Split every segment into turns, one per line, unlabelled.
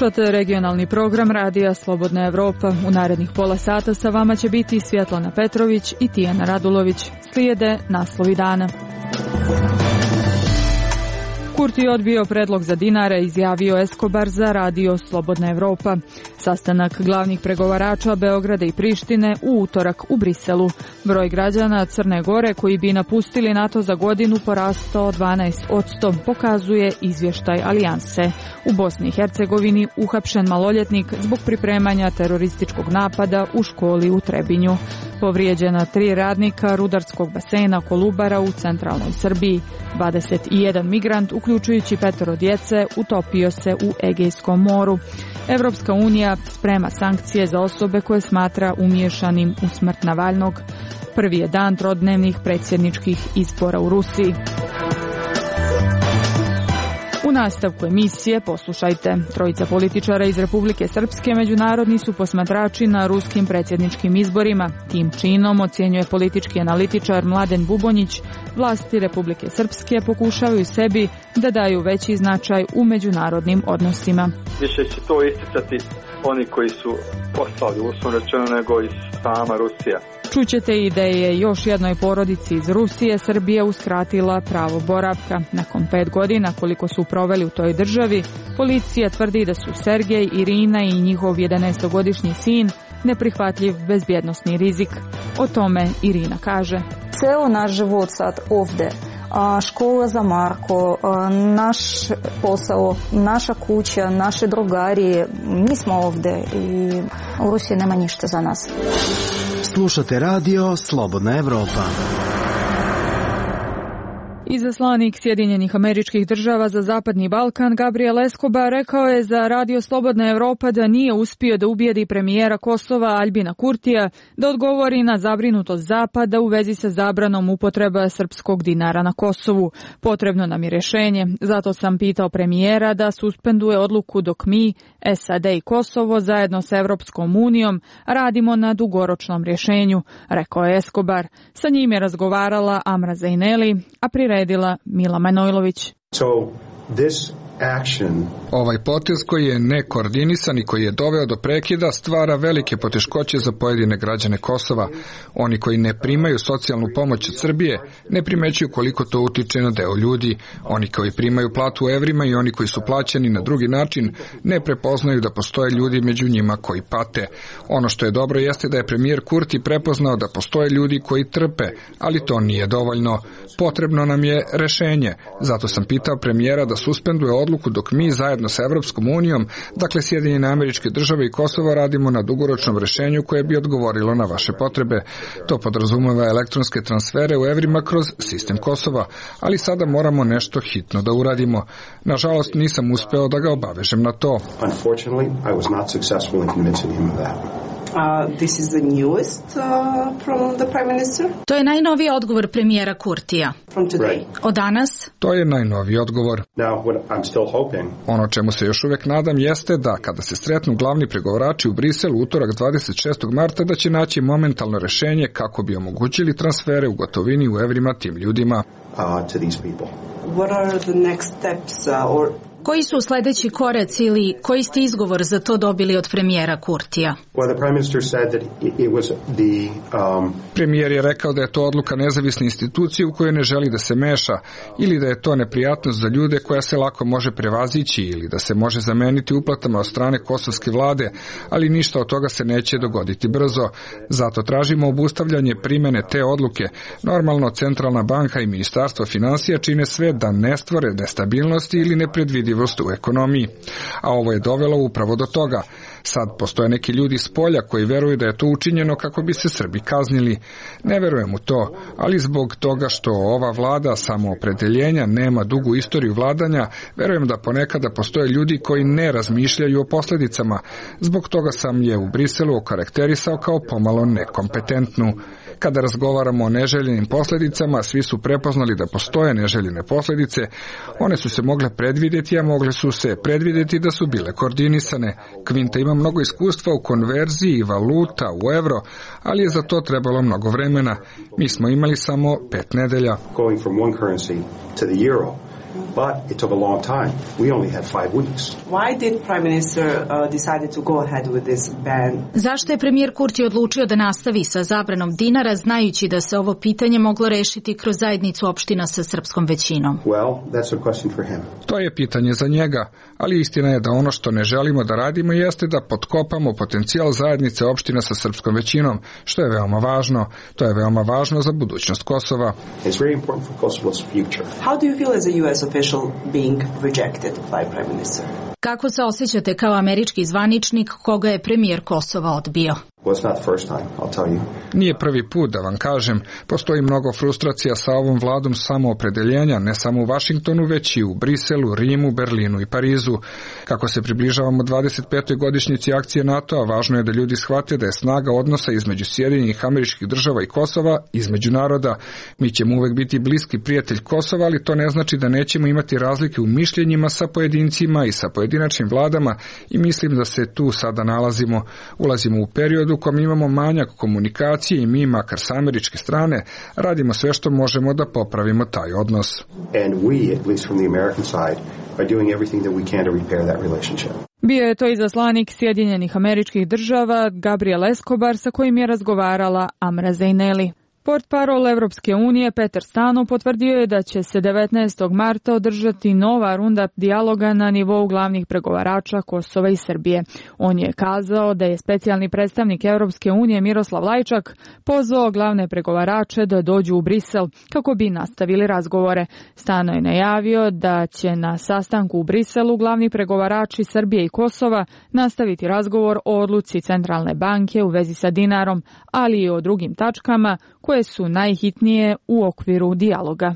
Slušate regionalni program radija Slobodna Evropa. U narednih pola sata sa vama će biti Svjetlana Petrović i Tijana Radulović. Slijede naslovi dana. Kurti odbio predlog za dinare, izjavio Escobar za radio Slobodna Evropa. Sastanak glavnih pregovarača Beograda i Prištine u utorak u Briselu. Broj građana Crne Gore koji bi napustili NATO za godinu porastao 12%, pokazuje izvještaj Alijanse. U Bosni i Hercegovini uhapšen maloljetnik zbog pripremanja terorističkog napada u školi u Trebinju. Povrijeđena 3 radnika rudarskog basena Kolubara u centralnoj Srbiji. 21 migrant, uključujući 5 djece, utopio se u Egejskom moru. Evropska unija sprema sankcije za osobe koje smatra umiješanim u smrt Navalnog. Prvi je dan trodnevnih predsjedničkih izbora u Rusiji. U nastavku emisije poslušajte. Trojica političara iz Republike Srpske međunarodni su posmatrači na ruskim predsjedničkim izborima. Tim činom, ocjenjuje politički analitičar Mladen Bubonjić, vlasti Republike Srpske pokušavaju sebi da daju veći značaj u međunarodnim odnosima.
Više će to isticati oni koji su poslali, uslovno rečeno, nego i sama Rusija.
Čućete i da je još jednoj porodici iz Rusije Srbija uskratila pravo boravka. Nakon 5 godina koliko su proveli u toj državi, policija tvrdi da su Sergej, Irina i njihov 11-godišnji sin neprihvatljiv bezbjednosni rizik. O tome Irina kaže.
Ceo naš život sad ovdje, škola za Marko, naš posao, naša kuća, naše drugari, mi smo ovdje i u Rusiji nema ništa za nas.
Slušate radio Slobodna Evropa.
Izaslanik Sjedinjenih Američkih Država za Zapadni Balkan Gabriel Escobar rekao je za radio Slobodna Evropa da nije uspio da ubijedi premijera Kosova Aljbina Kurtija da odgovori na zabrinutost Zapada u vezi sa zabranom upotreba srpskog dinara na Kosovu. Potrebno nam je rješenje, zato sam pitao premijera da suspenduje odluku dok mi, SAD i Kosovo zajedno sa Evropskom unijom radimo na dugoročnom rješenju, rekao je Escobar. Sa njim je razgovarala Amra Zaineli, a priredila Mila Manojlović.
Ovaj potez koji je nekoordinisan i koji je doveo do prekida stvara velike poteškoće za pojedine građane Kosova. Oni koji ne primaju socijalnu pomoć od Srbije ne primećuju koliko to utiče na deo ljudi. Oni koji primaju platu u evrima i oni koji su plaćeni na drugi način ne prepoznaju da postoje ljudi među njima koji pate. Ono što je dobro jeste da je premijer Kurti prepoznao da postoje ljudi koji trpe, ali to nije dovoljno. Potrebno nam je rešenje. Zato sam pitao premijera da suspenduje odluku dok mi zajedno sa Evropskom unijom, dakle Sjedinjene Američke Države i Kosovo, radimo na dugoročnom rješenju koje bi odgovorilo na vaše potrebe. To podrazumeva elektronske transfere u evrima kroz sistem Kosova, ali sada moramo nešto hitno da uradimo. Nažalost, nisam uspeo da ga obavežem na to.
This is the newest from the Prime Minister.
To je najnoviji odgovor premijera Kurtija.
From today.
Od danas?
To je najnoviji odgovor.
Now, what I'm still hoping.
Ono čemu se još uvijek nadam jeste da kada se sretnu glavni pregovarači u Briselu utorak 26. marta da će naći momentalno rješenje kako bi omogućili transfere u gotovini u evrima tim ljudima.
To these people.
What are the next steps
Koji su sljedeći koraci ili koji ste izgovor za to dobili od premijera Kurtija?
Premijer je rekao da je to odluka nezavisne institucije u kojoj ne želi da se meša ili da je to neprijatnost za ljude koja se lako može prevazići ili da se može zameniti uplatama od strane kosovske vlade, ali ništa od toga se neće dogoditi brzo. Zato tražimo obustavljanje primjene te odluke. Normalno Centralna banka i Ministarstvo financija čine sve da ne stvore nestabilnosti ili nepredvidivost u ekonomiji. A ovo je dovelo upravo do toga. Sad postoje neki ljudi s polja koji veruju da je to učinjeno kako bi se Srbi kaznili. Ne verujem u to, ali zbog toga što ova vlada samoopredeljenja nema dugu istoriju vladanja, verujem da ponekada postoje ljudi koji ne razmišljaju o posljedicama. Zbog toga sam je u Briselu okarakterisao kao pomalo nekompetentnu. Kada razgovaramo o neželjenim posljedicama, svi su prepoznali da postoje neželjene posljedice. One su se mogle predvidjeti, a mogle su se predvidjeti da su bile koordinisane. Kvinta ima mnogo iskustva u konverziji valuta u euro, ali je za to trebalo mnogo vremena. Mi smo imali samo 5 nedelja.
but it took a long time. We only had 5 weeks.
Why did Prime Minister decided to go ahead with this ban?
Zašto je premijer Kurti odlučio da nastavi sa zabranom dinara, znajući da se ovo pitanje moglo rešiti kroz zajednicu opština sa srpskom većinom?
Well, that's a question for him.
To je pitanje za njega, ali istina je da ono što ne želimo da radimo jeste da potkopamo potencijal zajednice opština sa srpskom većinom, što je veoma važno. To je veoma važno za budućnost Kosova.
It's very important for Kosovo's future.
How do you feel as a US official being rejected by Prime Minister?
Kako se osjećate kao američki zvaničnik koga je premijer Kosova odbio?
Well, it's not the first time, I'll tell you.
Nije prvi put da vam kažem, postoji mnogo frustracija sa ovom vladom samoopredeljenja, ne samo u Vašingtonu, već i u Briselu, Rimu, Berlinu i Parizu. Kako se približavamo 25. godišnjici akcije NATO-a, važno je da ljudi shvate da je snaga odnosa između Sjedinjenih Američkih Država i Kosova, između naroda. Mi ćemo uvek biti bliski prijatelj Kosova, ali to ne znači da nećemo imati razlike u mišljenjima sa pojedincima i sa pojedinačnim vladama i mislim da se tu sada nalazimo. Ulazimo u period u kom imamo manjak komunikacije i mi, makar sa američke strane, radimo sve što možemo da popravimo taj odnos.
And we, at least from the American side, are doing everything that we can to repair that relationship.
Bio je to izaslanik Sjedinjenih Američkih Država Gabriel Escobar sa kojim je razgovarala Amra Zejneli. Portparol Evropske unije Petar Stano potvrdio je da će se 19. marta održati nova runda dijaloga na nivou glavnih pregovarača Kosova i Srbije. On je kazao da je specijalni predstavnik Evropske unije Miroslav Lajčak pozvao glavne pregovarače da dođu u Brisel kako bi nastavili razgovore. Stano je najavio da će na sastanku u Briselu glavni pregovarači Srbije i Kosova nastaviti razgovor o odluci Centralne banke u vezi sa dinarom, ali i o drugim tačkama koje su najhitnije u okviru dijaloga.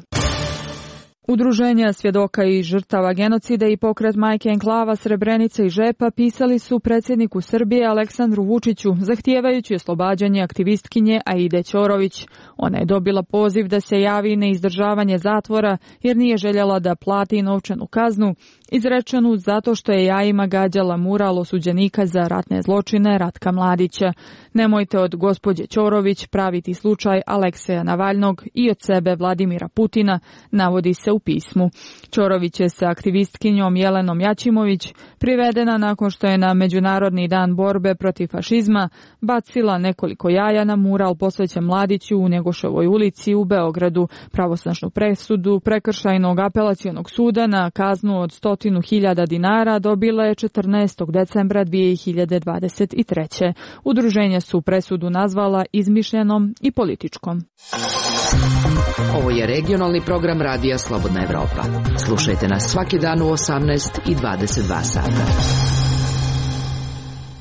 Udruženja svjedoka i žrtava genocida i pokret Majke enklava Srebrenica i Žepa pisali su predsjedniku Srbije Aleksandru Vučiću zahtijevajući oslobađanje aktivistkinje Aide Ćorović. Ona je dobila poziv da se javi na izdržavanje zatvora jer nije željela da plati novčanu kaznu izrečenu zato što je jajima gađala mural osuđenika za ratne zločine Ratka Mladića. Nemojte od gospođe Ćorović praviti slučaj Alekseja Navalnog i od sebe Vladimira Putina, navodi se u pismu. Ćorović je sa aktivistkinjom Jelenom Jačimović privedena nakon što je na Međunarodni dan borbe protiv fašizma bacila nekoliko jaja na mural posvećen Mladiću u Njegoševoj ulici u Beogradu. Pravosnažnu presudu Prekršajnog apelacionog suda na kaznu od 100.000 dinara dobila je 14. decembra 2023. Udruženja su presudu nazvala izmišljenom i političkom.
Ovo je regionalni program Radija Slobodna Evropa. Slušajte nas svaki dan u 18 i 22 sata.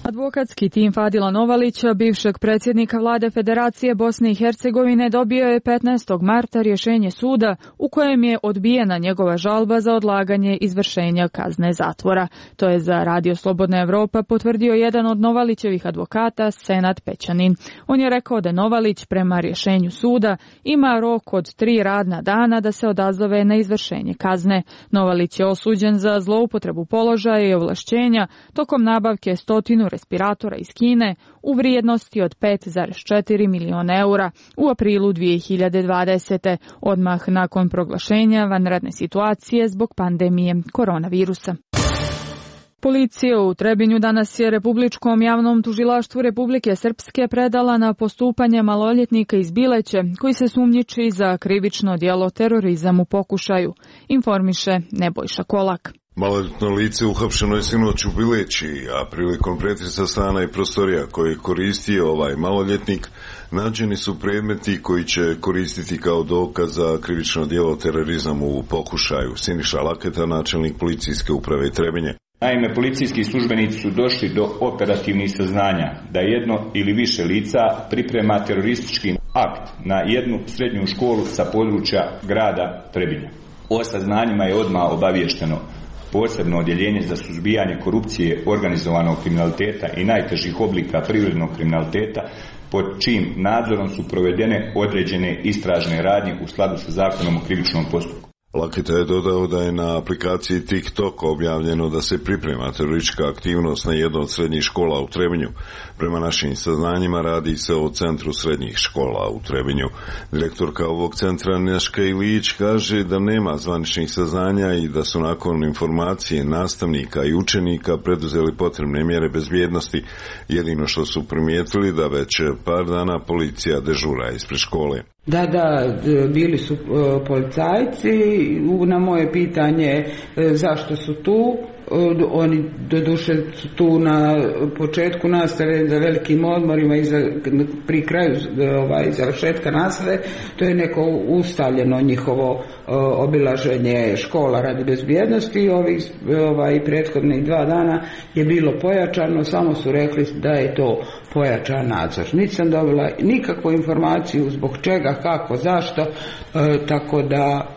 Advokatski tim Fadila Novalića, bivšeg predsjednika vlade Federacije Bosne i Hercegovine, dobio je 15. marta rješenje suda u kojem je odbijena njegova žalba za odlaganje izvršenja kazne zatvora. To je za Radio Slobodna Evropa potvrdio jedan od Novalićevih advokata, Senad Pećanin. On je rekao da Novalić prema rješenju suda ima rok od 3 radna dana da se odazove na izvršenje kazne. Novalić je osuđen za zloupotrebu položaja i ovlašćenja tokom nabavke 100 respiratora iz Kine u vrijednosti od 5,4 miliona eura u aprilu 2020. odmah nakon proglašenja vanredne situacije zbog pandemije koronavirusa. Policija u Trebinju danas je Republičkom javnom tužilaštvu Republike Srpske predala na postupanje maloljetnika iz Bileće koji se sumnjiči za krivično djelo terorizam u pokušaju, informiše Nebojša Kolak.
Maloljetno lice uhapšeno je sinoć u Bileći, a prilikom pretresa stana i prostorija koje je koristio ovaj maloljetnik, nađeni su predmeti koji će koristiti kao dokaz za krivično djelo terorizam u pokušaju. Siniša Laketa, načelnik policijske uprave Trebinje.
Naime, policijski službenici su došli do operativnih saznanja da jedno ili više lica priprema teroristički akt na jednu srednju školu sa područja grada Trebinja. O saznanjima je odmah obaviješteno posebno odjeljenje za suzbijanje korupcije, organizovanog kriminaliteta i najtežih oblika privrednog kriminaliteta, pod čijim nadzorom su provedene određene istražne radnje u skladu sa zakonom o krivičnom postupku.
Laketa je dodao da je na aplikaciji TikTok objavljeno da se priprema teroristička aktivnost na jednoj od srednjih škola u Trebinju. Prema našim saznanjima radi se o Centru srednjih škola u Trebinju. Direktorka ovog centra Neška Ilić kaže da nema zvaničnih saznanja i da su nakon informacije nastavnika i učenika preduzeli potrebne mjere bezbjednosti. Jedino što su primijetili da već par dana policija dežura ispred škole.
Da, bili su policajci. Na moje pitanje zašto su tu, oni doduše su tu na početku nastave za velikim odmorima i pri kraju završetka nastave. To je neko ustaljeno njihovo obilaženje škola radi bezbjednosti. Ovih prethodnih 2 dana je bilo pojačano, samo su rekli da je to pojačan nadzor. Nisam dobila nikakvu informaciju zbog čega, kako, zašto, tako da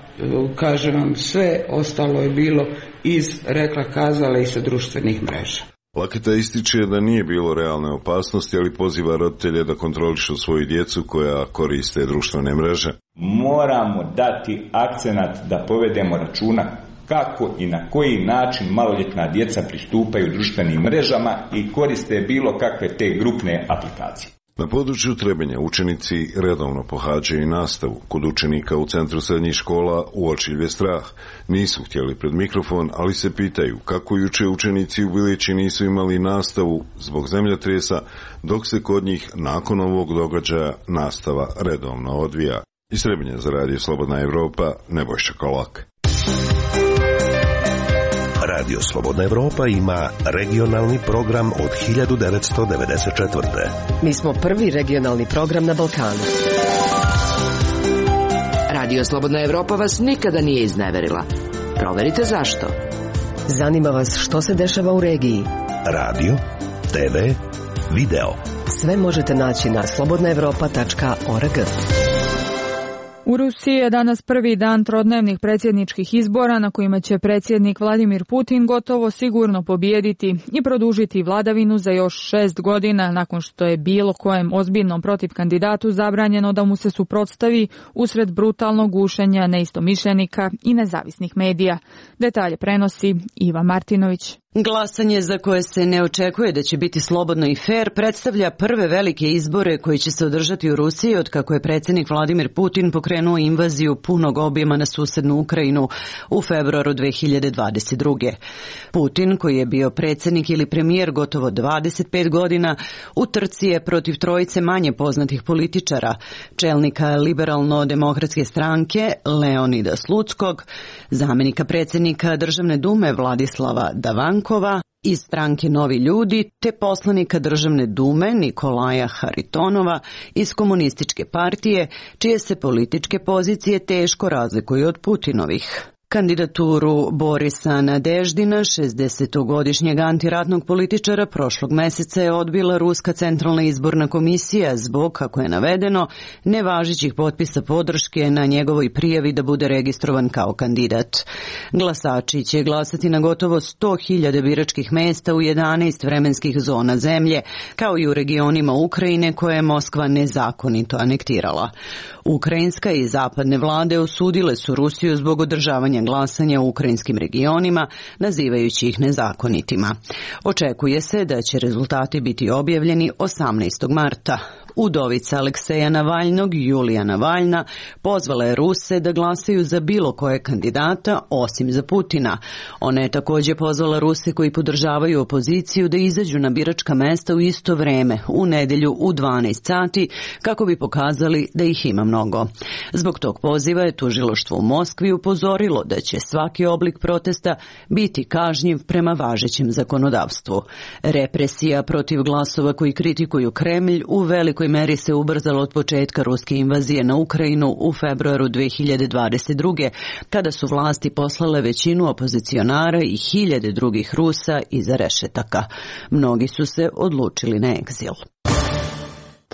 kažem vam, sve ostalo je bilo iz rekla kazala i sa društvenih mreža.
Laketa ističe da nije bilo realne opasnosti, ali poziva roditelje da kontrolišu svoju djecu koja koriste društvene mreže.
Moramo dati akcenat da povedemo računa kako i na koji način maloljetna djeca pristupaju društvenim mrežama i koriste bilo kakve te grupne aplikacije.
Na području Trebinja učenici redovno pohađaju nastavu. Kod učenika u Centru srednjih škola uočljiv je strah. Nisu htjeli pred mikrofon, ali se pitaju kako juče učenici u Bilići nisu imali nastavu zbog zemljotresa, dok se kod njih nakon ovog događaja nastava redovno odvija. Iz Trebinja za Radio Slobodna Evropa, Nebojša Kolak.
Radio Slobodna Evropa ima regionalni program od 1994.
Mi smo prvi regionalni program na Balkanu.
Radio Slobodna Evropa vas nikada nije izneverila. Proverite zašto.
Zanima vas što se dešava u regiji.
Radio, TV, video.
Sve možete naći na slobodnaevropa.org.
U Rusiji je danas prvi dan trodnevnih predsjedničkih izbora na kojima će predsjednik Vladimir Putin gotovo sigurno pobijediti i produžiti vladavinu za još 6 godina nakon što je bilo kojem ozbiljnom protiv kandidatu zabranjeno da mu se suprotstavi usred brutalnog gušenja neistomišljenika i nezavisnih medija. Detalje prenosi Iva Martinović.
Glasanje za koje se ne očekuje da će biti slobodno i fer predstavlja prve velike izbore koji će se održati u Rusiji od kako je predsjednik Vladimir Putin pokrenuo invaziju punog obima na susednu Ukrajinu u februaru 2022. Putin, koji je bio predsjednik ili premijer gotovo 25 godina, u trci je protiv trojice manje poznatih političara, čelnika liberalno-demokratske stranke Leonida Slutskog, zamjenika predsjednika Državne dume Vladislava Davankova iz stranke Novi ljudi, te poslanika Državne dume Nikolaja Haritonova iz Komunističke partije, čije se političke pozicije teško razlikuju od Putinovih. Kandidaturu Borisa Nadeždina, 60-godišnjeg antiratnog političara, prošlog mjeseca je odbila Ruska centralna izborna komisija zbog, kako je navedeno, nevažećih potpisa podrške na njegovoj prijavi da bude registrovan kao kandidat. Glasači će glasati na gotovo 100.000 biračkih mjesta u 11 vremenskih zona zemlje, kao i u regionima Ukrajine koje je Moskva nezakonito anektirala. Ukrajinska i zapadne vlade osudile su Rusiju zbog održavanja glasanja u ukrajinskim regionima, nazivajući ih nezakonitima. Očekuje se da će rezultati biti objavljeni 18. marta. Udovica Alekseja Navalnog, Julija Navalna, pozvala je Ruse da glasaju za bilo koje kandidata osim za Putina. Ona je također pozvala Ruse koji podržavaju opoziciju da izađu na biračka mesta u isto vreme, u nedjelju u 12 sati, kako bi pokazali da ih ima mnogo. Zbog tog poziva je tužilaštvo u Moskvi upozorilo da će svaki oblik protesta biti kažnjiv prema važećem zakonodavstvu. Represija protiv glasova koji kritikuju Kremlj u velikoj meri se ubrzalo od početka ruske invazije na Ukrajinu u februaru 2022. kada su vlasti poslale većinu opozicionara i hiljade drugih Rusa iza rešetaka. Mnogi su se odlučili na egzil.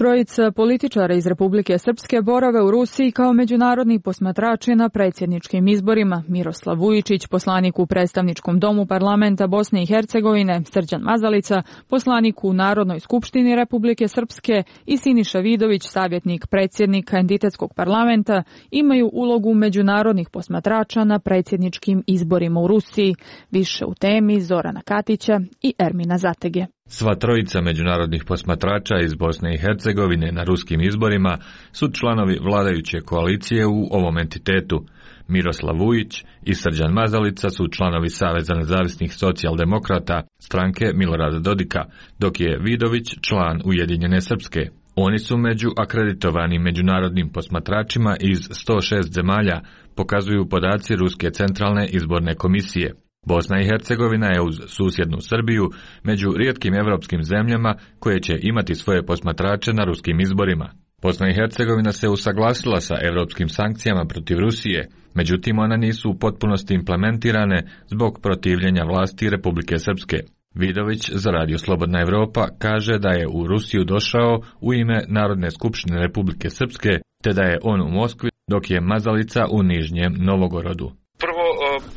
Trojica političara iz Republike Srpske borave u Rusiji kao međunarodni posmatrači na predsjedničkim izborima. Miroslav Vujičić, poslanik u predstavničkom domu parlamenta Bosne i Hercegovine, Srđan Mazalica, poslanik u Narodnoj skupštini Republike Srpske i Siniša Vidović, savjetnik predsjednika entitetskog parlamenta, imaju ulogu međunarodnih posmatrača na predsjedničkim izborima u Rusiji. Više u temi Zorana Katića i Ermina Zatege.
Sva trojica međunarodnih posmatrača iz Bosne i Hercegovine na ruskim izborima su članovi vladajuće koalicije u ovom entitetu. Miroslav Vujić i Srđan Mazalica su članovi Saveza nezavisnih socijaldemokrata, stranke Milorada Dodika, dok je Vidović član Ujedinjene Srpske. Oni su među akreditovanim međunarodnim posmatračima iz 106 zemalja, pokazuju podaci Ruske centralne izborne komisije. Bosna i Hercegovina je uz susjednu Srbiju među rijetkim evropskim zemljama koje će imati svoje posmatrače na ruskim izborima. Bosna i Hercegovina se usaglasila sa evropskim sankcijama protiv Rusije, međutim one nisu u potpunosti implementirane zbog protivljenja vlasti Republike Srpske. Vidović za Radio Slobodna Evropa kaže da je u Rusiju došao u ime Narodne skupštine Republike Srpske, te da je on u Moskvi, dok je Mazalica u Nižnjem Novogorodu.
Prvo,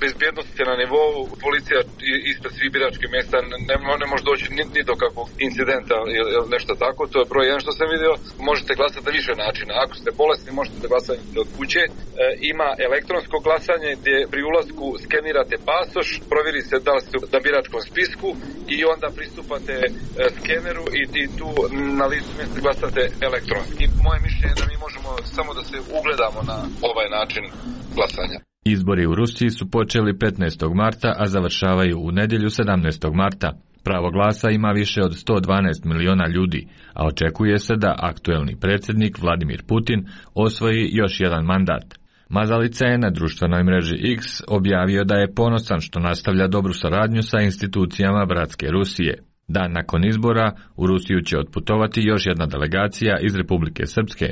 bezbjednost je na nivou, policija ispred svih biračkih mjesta ne može doći ni do kakvog incidenta ili nešto tako, to je broj jedan što sam vidio. Možete glasati na više načina, ako ste bolesni možete glasati od kuće, ima elektronsko glasanje gdje pri ulasku skenirate pasoš, provjeri se da li ste na biračkom spisku i onda pristupate skeneru i tu na listu mjesta glasate elektronski. Moje mišljenje je da mi možemo samo da se ugledamo na ovaj način glasanja.
Izbori u Rusiji su počeli 15. marta, a završavaju u nedjelju 17. marta. Pravo glasa ima više od 112 miliona ljudi, a očekuje se da aktuelni predsjednik Vladimir Putin osvoji još jedan mandat. Mazalica je na društvenoj mreži X objavio da je ponosan što nastavlja dobru saradnju sa institucijama bratske Rusije. Dan nakon izbora u Rusiju će otputovati još jedna delegacija iz Republike Srpske,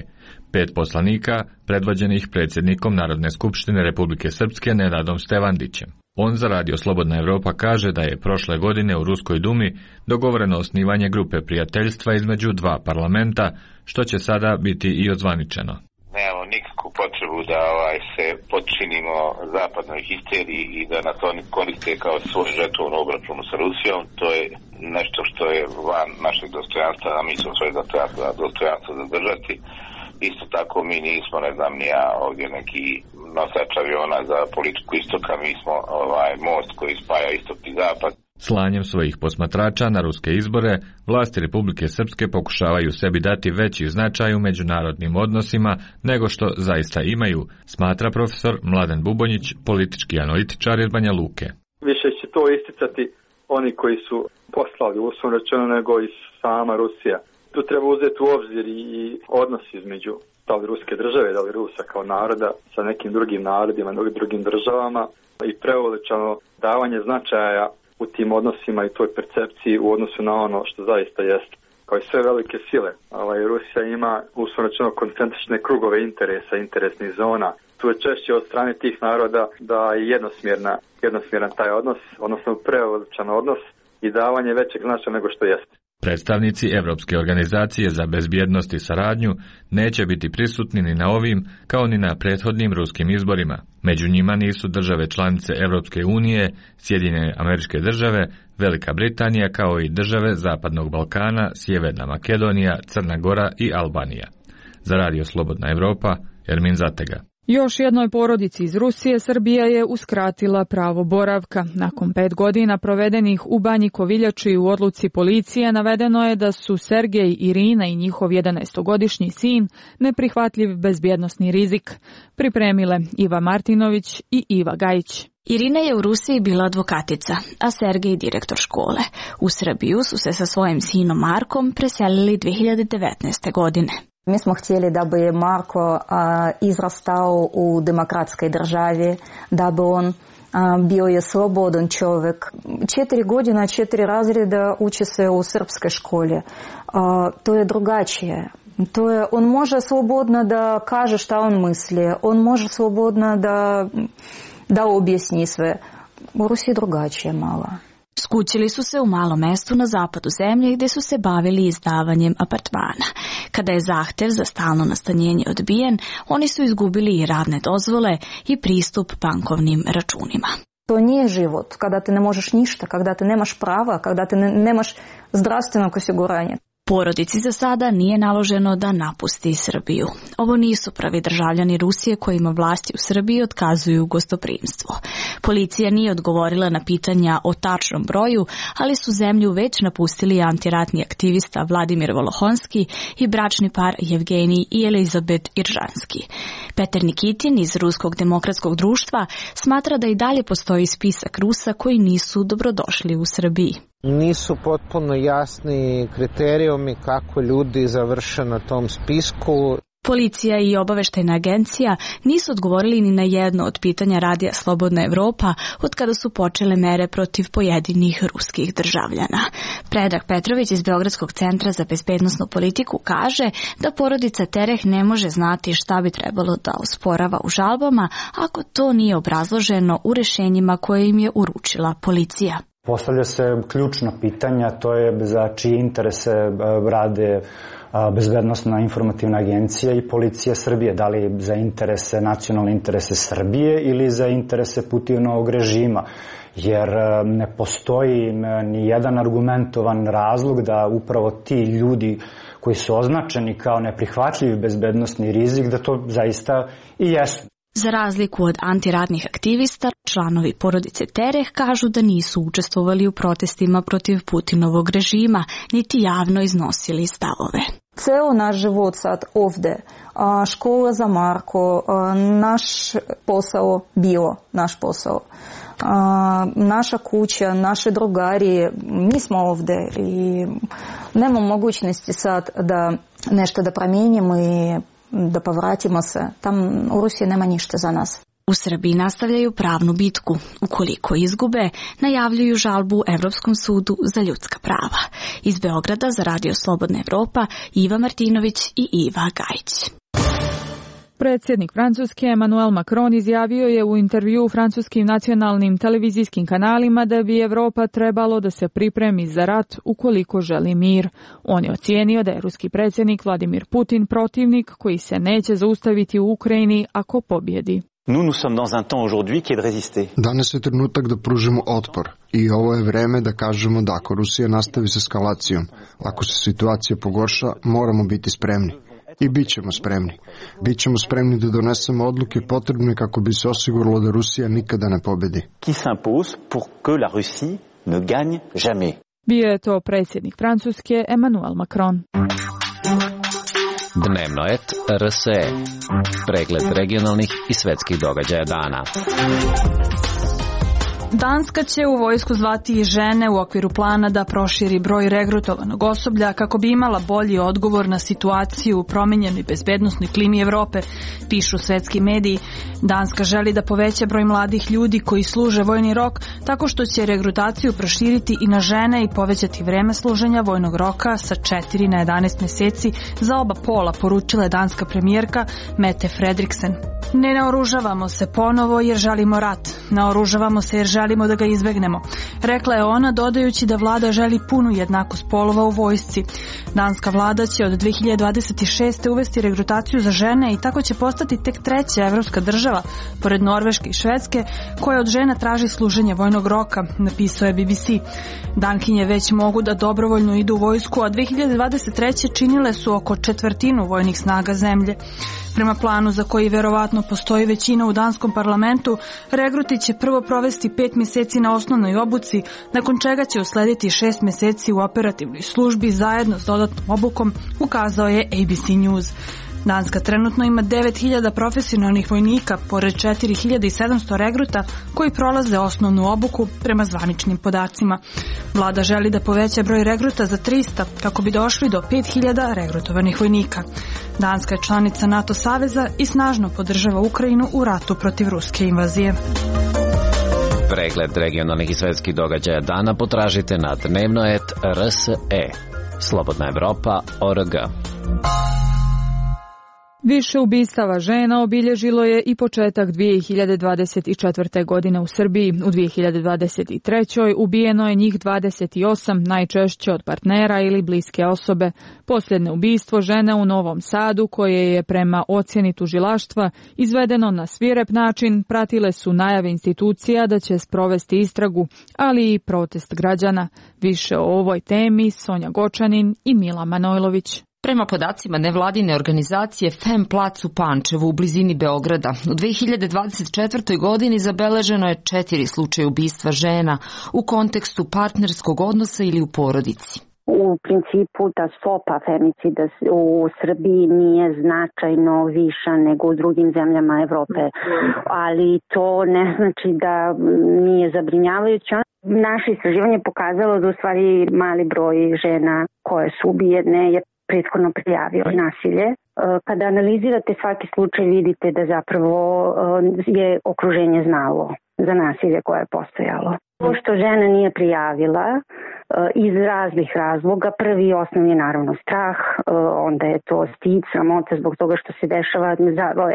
5 poslanika predvođenih predsjednikom Narodne skupštine Republike Srpske Nenadom Stevandićem. On za Radio Slobodna Evropa kaže da je prošle godine u Ruskoj dumi dogovoreno osnivanje grupe prijateljstva između dva parlamenta, što će sada biti i ozvaničeno.
Nemamo nikakvu potrebu da se podčinimo zapadnoj histeriji i da nas oni koriste kao svoj žetovnu obračunu sa Rusijom. To je nešto što je van našeg dostojanstva, a mi smo svoje dostojanstvo zadržati. Isto tako mi nismo, ne znam ni ja, ovdje neki nosač aviona za politiku istoka, mi smo most koji spaja istok i zapad.
Slanjem svojih posmatrača na ruske izbore, vlasti Republike Srpske pokušavaju sebi dati veći značaj u međunarodnim odnosima nego što zaista imaju, smatra profesor Mladen Bubonjić, politički analitičar iz Banja Luke.
Više će to isticati oni koji su poslali, uslovno rečeno, nego i sama Rusija. Tu treba uzeti u obzir i odnos između da li ruske države, da li Rusa kao naroda sa nekim drugim narodima, drugim državama i preuveličano davanje značaja u tim odnosima i toj percepciji u odnosu na ono što zaista jeste. Kao i sve velike sile, Rusija ima uslovno rečeno koncentrične krugove interesa, interesnih zona. Tu je češće od strane tih naroda da je jednosmjeran taj odnos, odnosno preuveličan odnos i davanje većeg značaja nego što jeste.
Predstavnici Evropske organizacije za bezbjednost i saradnju neće biti prisutni ni na ovim kao ni na prethodnim ruskim izborima. Među njima nisu države članice Evropske unije, Sjedinjene Američke Države, Velika Britanija kao i države Zapadnog Balkana, Sjeverna Makedonija, Crna Gora i Albanija. Za Radio Slobodna Evropa, Ermin Zatega.
Još jednoj porodici iz Rusije Srbija je uskratila pravo boravka. Nakon 5 godina provedenih u Banji Koviljači u odluci policije navedeno je da su Sergej, Irina i njihov 11-godišnji sin neprihvatljiv bezbjednosni rizik. Pripremile Iva Martinović i Iva Gajić.
Irina je u Rusiji bila advokatica, a Sergej direktor škole. U Srbiju su se sa svojim sinom Markom preselili 2019. godine.
Mi smo htjeli da bi Marko izrastao u demokratskoj državi, da bi on bio je slobodan čovjek. 4 godine, 4 razreda uči se u srpskoj školi. To je drugačije. On može slobodno da kaže šta on misli, on može slobodno da objasni sve. U Rusiji drugačije malo.
Skućili su se u malom mjestu na zapadu zemlje gdje su se bavili izdavanjem apartmana. Kada je zahtev za stalno nastanjenje odbijen, oni su izgubili i radne dozvole i pristup bankovnim računima.
To nije život kada ti ne možeš ništa, kada ti nemaš prava, kada ti nemaš zdravstvenog osiguranja.
Porodici za sada nije naloženo da napusti Srbiju. Ovo nisu pravi državljani Rusije kojima vlasti u Srbiji otkazuju gostoprimstvo. Policija nije odgovorila na pitanja o tačnom broju, ali su zemlju već napustili antiratni aktivista Vladimir Volohonski i bračni par Jevgenij i Elizabet Iržanski. Peter Nikitin iz Ruskog demokratskog društva smatra da i dalje postoji spisak Rusa koji nisu dobrodošli u Srbiji.
Nisu potpuno jasni kriterijumi kako ljudi završe na tom spisku.
Policija i obaveštajna agencija nisu odgovorili ni na jedno od pitanja Radija Slobodna Evropa od kada su počele mere protiv pojedinih ruskih državljana. Predrag Petrović iz Beogradskog centra za bezbednosnu politiku kaže da porodica Tereh ne može znati šta bi trebalo da osporava u žalbama ako to nije obrazloženo u rešenjima koje im je uručila policija.
Postavlja se ključno pitanja, to je za čije interese rade Bezbednosna informativna agencija i policija Srbije, da li za interese, nacionalne interese Srbije ili za interese Putinovog režima, jer ne postoji ni jedan argumentovan razlog da upravo ti ljudi koji su označeni kao neprihvatljivi bezbednosni rizik, da to zaista i jesu.
Za razliku od antiratnih aktivista, članovi porodice Tereh kažu da nisu učestvovali u protestima protiv Putinovog režima, niti javno iznosili stavove.
Ceo naš život sad ovde, škola za Marko, naš posao bio naš posao. Naša kuća, naše drugarije, mi smo ovde i nema mogućnosti sad da nešto da promijenimo i da povratimo se. Tam u Rusiji nema ništa za nas.
U Srbiji nastavljaju pravnu bitku. Ukoliko izgube, najavljuju žalbu Evropskom sudu za ljudska prava. Iz Beograda za Radio Slobodna Evropa, Iva Martinović i Iva Gajić.
Predsjednik Francuske Emmanuel Macron izjavio je u intervjuu francuskim nacionalnim televizijskim kanalima da bi Evropa trebalo da se pripremi za rat ukoliko želi mir. On je ocijenio da je ruski predsjednik Vladimir Putin protivnik koji se neće zaustaviti u Ukrajini ako pobjedi.
Danas je trenutak da pružimo otpor i ovo je vreme da kažemo da ako Rusija nastavi s eskalacijom, ako se situacija pogorša, moramo biti spremni. I bit ćemo spremni. Bićemo spremni da donesemo odluke potrebne kako bi se osiguralo da Rusija nikada ne pobedi.
Bio je to predsjednik Francuske Emmanuel Macron.
Dnevnoet RSE. Pregled regionalnih i svetskih događaja dana.
Danska će u vojsku zvati i žene u okviru plana da proširi broj regrutovanog osoblja kako bi imala bolji odgovor na situaciju u promijenjenoj bezbednosnoj klimi Evrope, pišu svetski mediji. Danska želi da poveća broj mladih ljudi koji služe vojni rok tako što će regrutaciju proširiti i na žene i povećati vreme služenja vojnog roka sa 4 na 11 mjeseci za oba pola, poručila je danska premijerka Mette Frederiksen. Ne naoružavamo se ponovo jer želimo rat. Naoružavamo se jer želimo da ga izbegnemo. Rekla je ona, dodajući da vlada želi punu jednakost polova u vojsci. Danska vlada će od 2026. uvesti regrutaciju za žene i tako će postati tek treća evropska država, pored Norveške i Švedske, koja od žena traži služenje vojnog roka, napisao je BBC. Dankinje već mogu da dobrovoljno idu u vojsku, a 2023. činile su oko četvrtinu vojnih snaga zemlje. Prema planu za koji verovatno postoji većina u danskom parlamentu, regruti će prvo provesti 5 mjeseci na osnovnoj obuci, nakon čega će uslediti 6 mjeseci u operativnoj službi zajedno s dodatnom obukom, ukazao je ABC News. Danska trenutno ima 9000 profesionalnih vojnika, pored 4700 regruta koji prolaze osnovnu obuku prema zvaničnim podacima. Vlada želi da poveća broj regruta za 300 kako bi došli do 5000 regrutovanih vojnika. Danska je članica NATO saveza i snažno podržava Ukrajinu u ratu protiv ruske invazije.
Pregled regionalnih i svetskih događaja dana potražite na Dnevnoet RSE. Slobodna Evropa.org.
Više ubistava žena obilježilo je i početak 2024. godine u Srbiji. U 2023. ubijeno je njih 28, najčešće od partnera ili bliske osobe. Posljednje ubistvo žene u Novom Sadu, koje je prema ocjeni tužilaštva izvedeno na svirep način, pratile su najave institucija da će sprovesti istragu, ali i protest građana. Više o ovoj temi Sonja Gočanin i Mila Manojlović.
Prema podacima nevladine organizacije Femplac u Pančevu u blizini Beograda, u 2024. godini zabeleženo je 4 slučaja ubistva žena u kontekstu partnerskog odnosa ili u porodici.
U principu da stopa femicida u Srbiji nije značajno viša nego u drugim zemljama Evrope, ali to ne znači da nije zabrinjavajuće. Naše istraživanje pokazalo da u stvari mali broj žena koje su ubijene je prethodno prijavio nasilje. Kada analizirate svaki slučaj vidite da zapravo je okruženje znalo za nasilje koje je postojalo. To što žena nije prijavila iz raznih razloga, prvi i osnovni naravno strah, onda je to stid, sramota zbog toga što se dešava,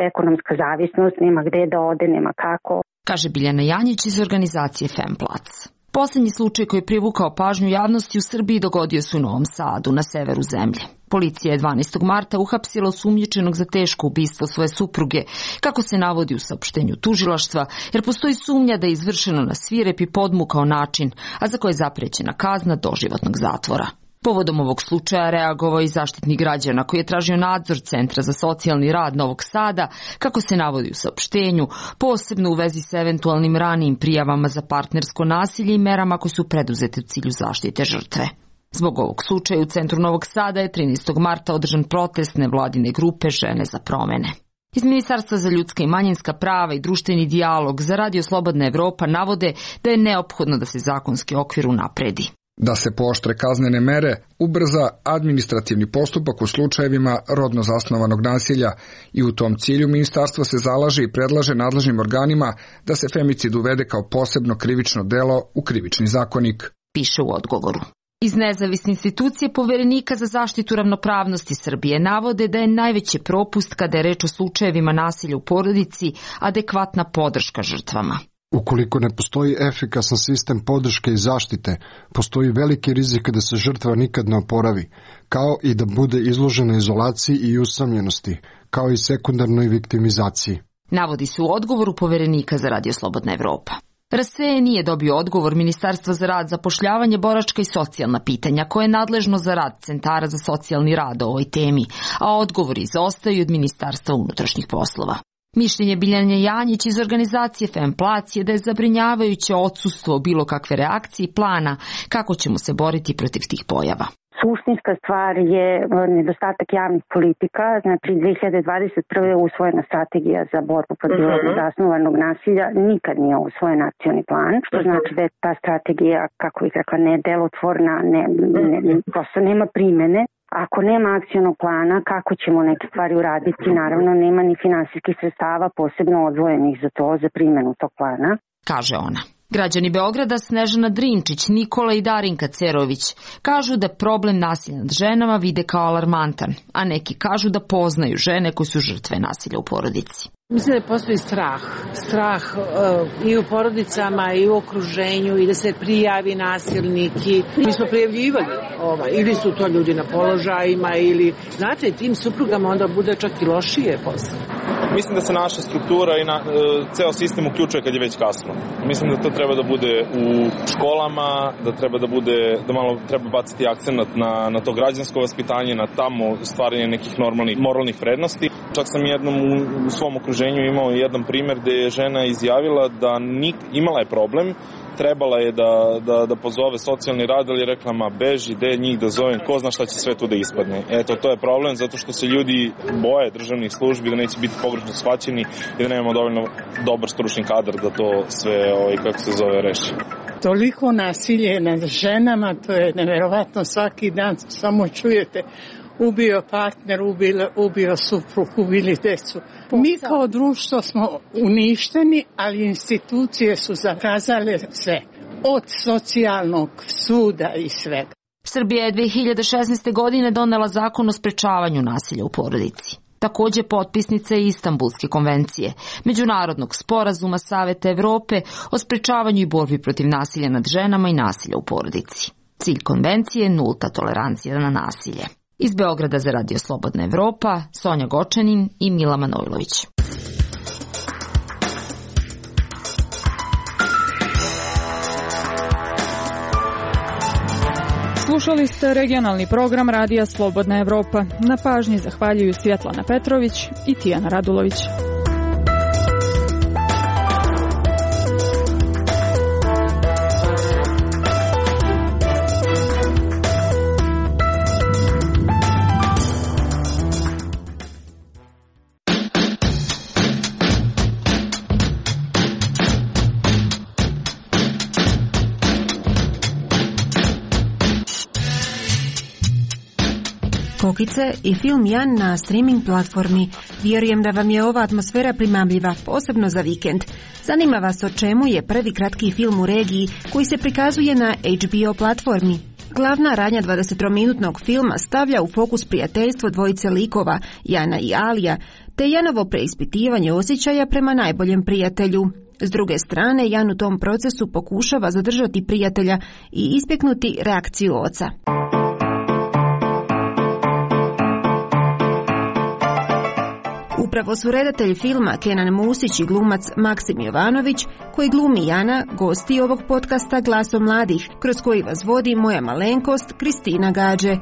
ekonomska zavisnost, nema gde da ode, nema kako.
Kaže Biljana Janjić iz organizacije Femplac. Posljednji slučaj koji je privukao pažnju javnosti u Srbiji dogodio se u Novom Sadu, na severu zemlje. Policija je 12. marta uhapsila osumnjičenog za teško ubistvo svoje supruge, kako se navodi u saopštenju tužilaštva, jer postoji sumnja da je izvršeno na svirep i podmukao način, a za koje je zaprećena kazna doživotnog zatvora. Povodom ovog slučaja reagovao i Zaštitnik građana koji je tražio nadzor Centra za socijalni rad Novog Sada, kako se navodi u saopštenju, posebno u vezi s eventualnim ranijim prijavama za partnersko nasilje i merama koje su preduzete u cilju zaštite žrtve. Zbog ovog slučaja u centru Novog Sada je 13. marta održan protest nevladine grupe Žene za promene. Iz Ministarstva za ljudska i manjinska prava i društveni dijalog za Radio Slobodna Evropa navode da je neophodno da se zakonski okvir unapredi.
Da se pooštre kaznene mere, ubrza administrativni postupak u slučajevima rodno zasnovanog nasilja i u tom cilju ministarstvo se zalaže i predlaže nadležnim organima da se femicid uvede kao posebno krivično delo u krivični zakonik.
Piše u odgovoru. Iz nezavisne institucije Poverenika za zaštitu ravnopravnosti Srbije navode da je najveći propust kada je reč o slučajevima nasilja u porodici adekvatna podrška žrtvama.
Ukoliko ne postoji efikasan sistem podrške i zaštite, postoji veliki rizik da se žrtva nikad ne oporavi, kao i da bude izložena izolaciji i usamljenosti, kao i sekundarnoj viktimizaciji.
Navodi se u odgovoru Poverenika za Radio Slobodna Evropa. RSE nije dobio odgovor Ministarstva za rad, zapošljavanje, boračka i socijalna pitanja, koje je nadležno za rad centara za socijalni rad o ovoj temi, a odgovori izostaju od Ministarstva unutrašnjih poslova. Mišljenje Biljane Janjić iz organizacije Femplac je da je zabrinjavajuće odsustvo bilo kakve reakcije i plana kako ćemo se boriti protiv tih pojava.
Suštinska stvar je nedostatak javnih politika, znači 2021. je usvojena strategija za borbu protiv rodno zasnovanog nasilja, nikad nije usvojen akcioni plan, što znači da je ta strategija, kako bih rekla, nedelotvorna, prosto nema primene. Ako nema akcionog plana, kako ćemo neke stvari uraditi? Naravno, nema ni finansijskih sredstava posebno odvojenih za to, za primjenu tog plana.
Kaže ona. Građani Beograda Snežana Drinčić, Nikola i Darinka Cerović kažu da problem nasilja nad ženama vide kao alarmantan, a neki kažu da poznaju žene koje su žrtve nasilja u porodici.
Mislim da postoji strah i u porodicama i u okruženju i da se prijavi nasilnik. Mi smo prijavljivali ili su to ljudi na položajima ili, znate, tim suprugama onda bude čak i lošije posle.
Mislim da se naša struktura i ceo sistem uključuje kad je već kasno. Mislim da to treba da bude u školama, da malo treba baciti akcenat na to građansko vaspitanje, na tamo stvaranje nekih moralnih vrednosti. Čak sam jednom u svom okruženju imao jedan primjer gde je žena izjavila da imala je problem, trebala je da pozove socijalni rad, ali je rekla, beži, gde njih da zovem, ko zna šta će sve tu da ispadne. Eto, to je problem, zato što se ljudi boje državnih službi, da neće biti pogrešno shvaćeni i da nemamo dovoljno dobar stručni kadar da to sve, reši.
Toliko nasilje nad ženama, to je neverovatno, svaki dan samo čujete ubio partner, ubio suprug, ubili decu. Mi kao društvo smo uništeni, ali institucije su zakazale sve. Od socijalnog suda i svega.
Srbija je 2016. godine donela zakon o sprečavanju nasilja u porodici. Takođe potpisnica je Istanbulske konvencije, međunarodnog sporazuma Saveta Evrope o sprečavanju i borbi protiv nasilja nad ženama i nasilja u porodici. Cilj konvencije je nulta tolerancija na nasilje. Iz Beograda za Radio Slobodna Evropa, Sonja Gočanin i Mila Manojlović.
Slušali ste regionalni program Radija Slobodna Evropa. Na pažnji zahvaljuju Svjetlana Petrović i Tijana Radulović.
Kokice i film Jan na streaming platformi. Vjerujem da vam je ova atmosfera primamljiva, posebno za vikend. Zanima vas o čemu je prvi kratki film u regiji koji se prikazuje na HBO platformi. Glavna radnja 20-minutnog filma stavlja u fokus prijateljstvo dvojice likova, Jana i Alija, te Janovo preispitivanje osjećaja prema najboljem prijatelju. S druge strane, Jan u tom procesu pokušava zadržati prijatelja i ispeknuti reakciju oca. Upravo su redatelj filma Kenan Musić i glumac Maksim Jovanović, koji glumi Jana, gosti ovog podcasta Glasom mladih, kroz koji vas vodi moja malenkost Kristina Gađe.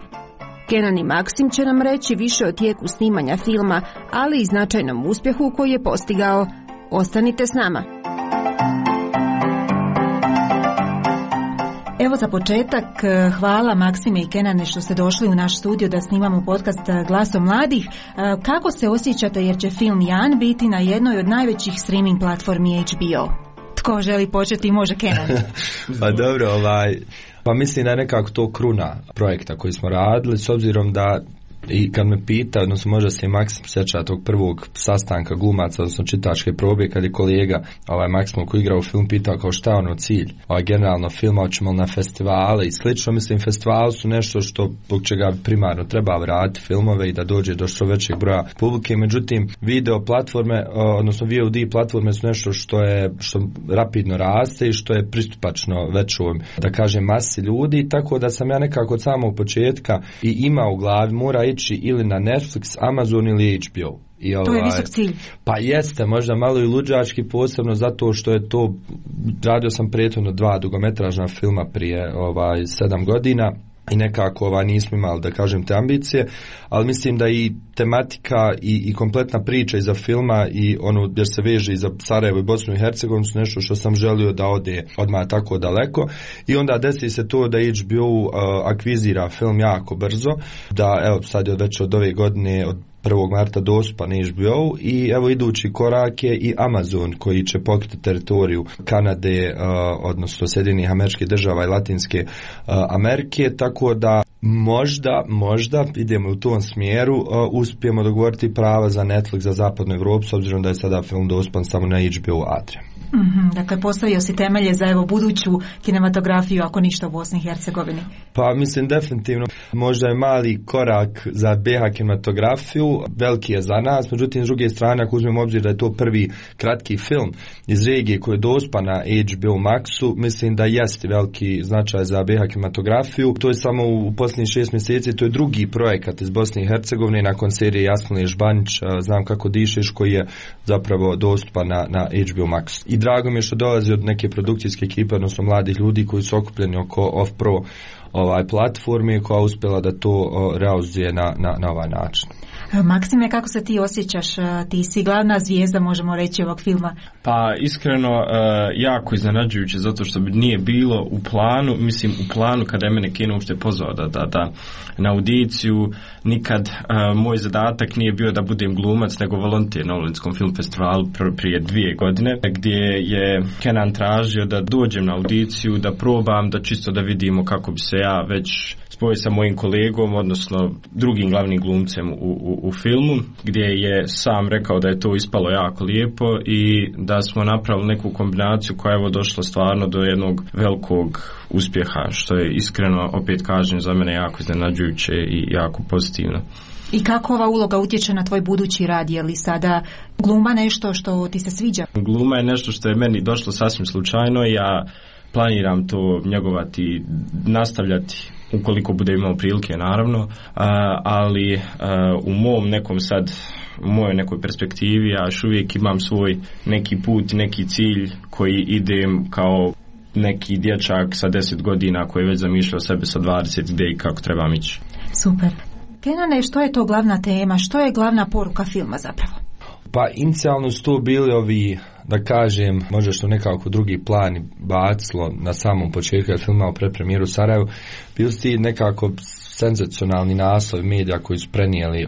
Kenan i Maksim će nam reći više o tijeku snimanja filma, ali i značajnom uspjehu koji je postigao. Ostanite s nama. Evo za početak, hvala Maksime i Kenane što ste došli u naš studio da snimamo podcast Glasom mladih. Kako se osjećate jer će film Jan biti na jednoj od najvećih streaming platformi HBO? Tko želi početi, može Kenan.
Pa dobro, pa mislim da je nekako to kruna projekta koji smo radili, s obzirom da i kad me pita, odnosno možda se i Maksim sjeća tog prvog sastanka glumaca, odnosno čitačke probe, kad je kolega Maksim koji igra u film pitao kao šta je ono cilj. Generalno filma hoćemo na festivale i slično, mislim festivali su nešto što zbog čega primarno treba vratiti filmove i da dođe do što većeg broja publike, međutim video platforme, odnosno VOD platforme su nešto što rapidno raste i što je pristupačno većoj, da kažem, masi ljudi, tako da sam ja nekako od samog početka i imao u glavi mora ići ili na Netflix, Amazon ili HBO.
To je visok cilj.
Pa jeste, možda malo i luđački, posebno zato što je to, radio sam prethodno 2 dugometražna filma prije 7 godina i nekako nismo imali, da kažem, te ambicije, ali mislim da i tematika i kompletna priča iza filma i ono jer se veže i za Sarajevo i Bosnu i Hercegovinu su nešto što sam želio da ode odmah tako daleko i onda desi se to da HBO akvizira film jako brzo, da evo sad je već od ove godine, od 1. marta dostupan HBO i evo idući korak je i Amazon koji će pokriti teritoriju Kanade, odnosno Sjedinjenih Američkih Država i Latinske Amerike, tako da možda idemo u tom smjeru, uspijemo dogovoriti prava za Netflix za zapadnu Evropu, s obzirom da je sada film dostupan samo na HBO Adria.
Dakle, postavio si temelje za buduću kinematografiju, ako ništa u Bosni i Hercegovini.
Pa mislim definitivno, možda je mali korak za BiH kinematografiju, veliki je za nas, međutim s druge strane ako uzmemo obzir da je to prvi kratki film iz regije koji je dostupan na HBO Maxu, mislim da jeste veliki značaj za BiH kinematografiju. To je samo u posljednjih 6 mjeseci, to je drugi projekat iz Bosne i Hercegovine nakon serije Jasmine Žbanić, Znam kako dišeš, koji je zapravo dostupan na HBO Max. I drago mi je što dolazi od neke produkcijske ekipe, odnosno mladih ljudi koji su okupljeni oko Off-Pro platforme koja je uspjela da to realizuje na ovaj način.
Maksime, kako se ti osjećaš? Ti si glavna zvijezda, možemo reći, ovog filma.
Pa iskreno jako iznenađujuće, zato što bi nije bilo u planu kada je mene kino uopšte pozvao da na audiciju, nikad moj zadatak nije bio da budem glumac, nego volonter na Olinskom film festivalu prije 2 godine, gdje je Kenan tražio da dođem na audiciju, da probam, da čisto da vidimo kako bi se ja već spojio sa mojim kolegom, odnosno drugim glavnim glumcem u filmu, gdje je sam rekao da je to ispalo jako lijepo i da smo napravili neku kombinaciju koja je došla stvarno do jednog velikog uspjeha, što je iskreno, opet kažem, za mene jako iznenađujuće i jako pozitivno.
I kako ova uloga utječe na tvoj budući rad? Je li sada gluma nešto što ti se sviđa?
Gluma je nešto što je meni došlo sasvim slučajno. Ja planiram to njegovati, nastavljati ukoliko bude imao prilike, naravno, ali u mom nekom sad, u mojoj nekoj perspektivi ja još uvijek imam svoj neki put, neki cilj koji idem kao neki dječak sa 10 godina koji je već zamišljao sebe sa 20 gdje i kako trebam ići.
Super. Kenane, što je to glavna tema? Što je glavna poruka filma zapravo?
Pa inicijalno su to bili ovi, da kažem, možda što nekako drugi plan bacilo na samom početku filma o predpremijeru u Sarajevu, bili su ti nekako senzacionalni naslovi medija koji su prenijeli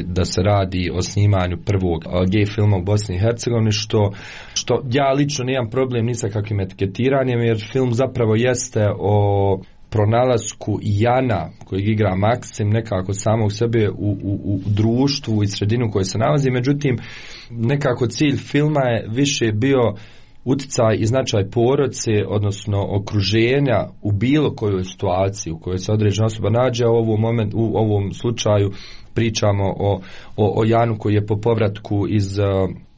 da se radi o snimanju prvog gay filma u Bosni i Hercegovini, što ja lično nemam problem ni sa kakvim etiketiranjem, jer film zapravo jeste o pronalasku Jana kojeg igra Maksim nekako samog sebe u društvu i sredinu u kojoj se nalazi. Međutim, nekako cilj filma je više bio utjecaj i značaj porodice, odnosno okruženja u bilo kojoj situaciji u kojoj se određena osoba nađe. U ovom slučaju pričamo o Janu koji je po povratku iz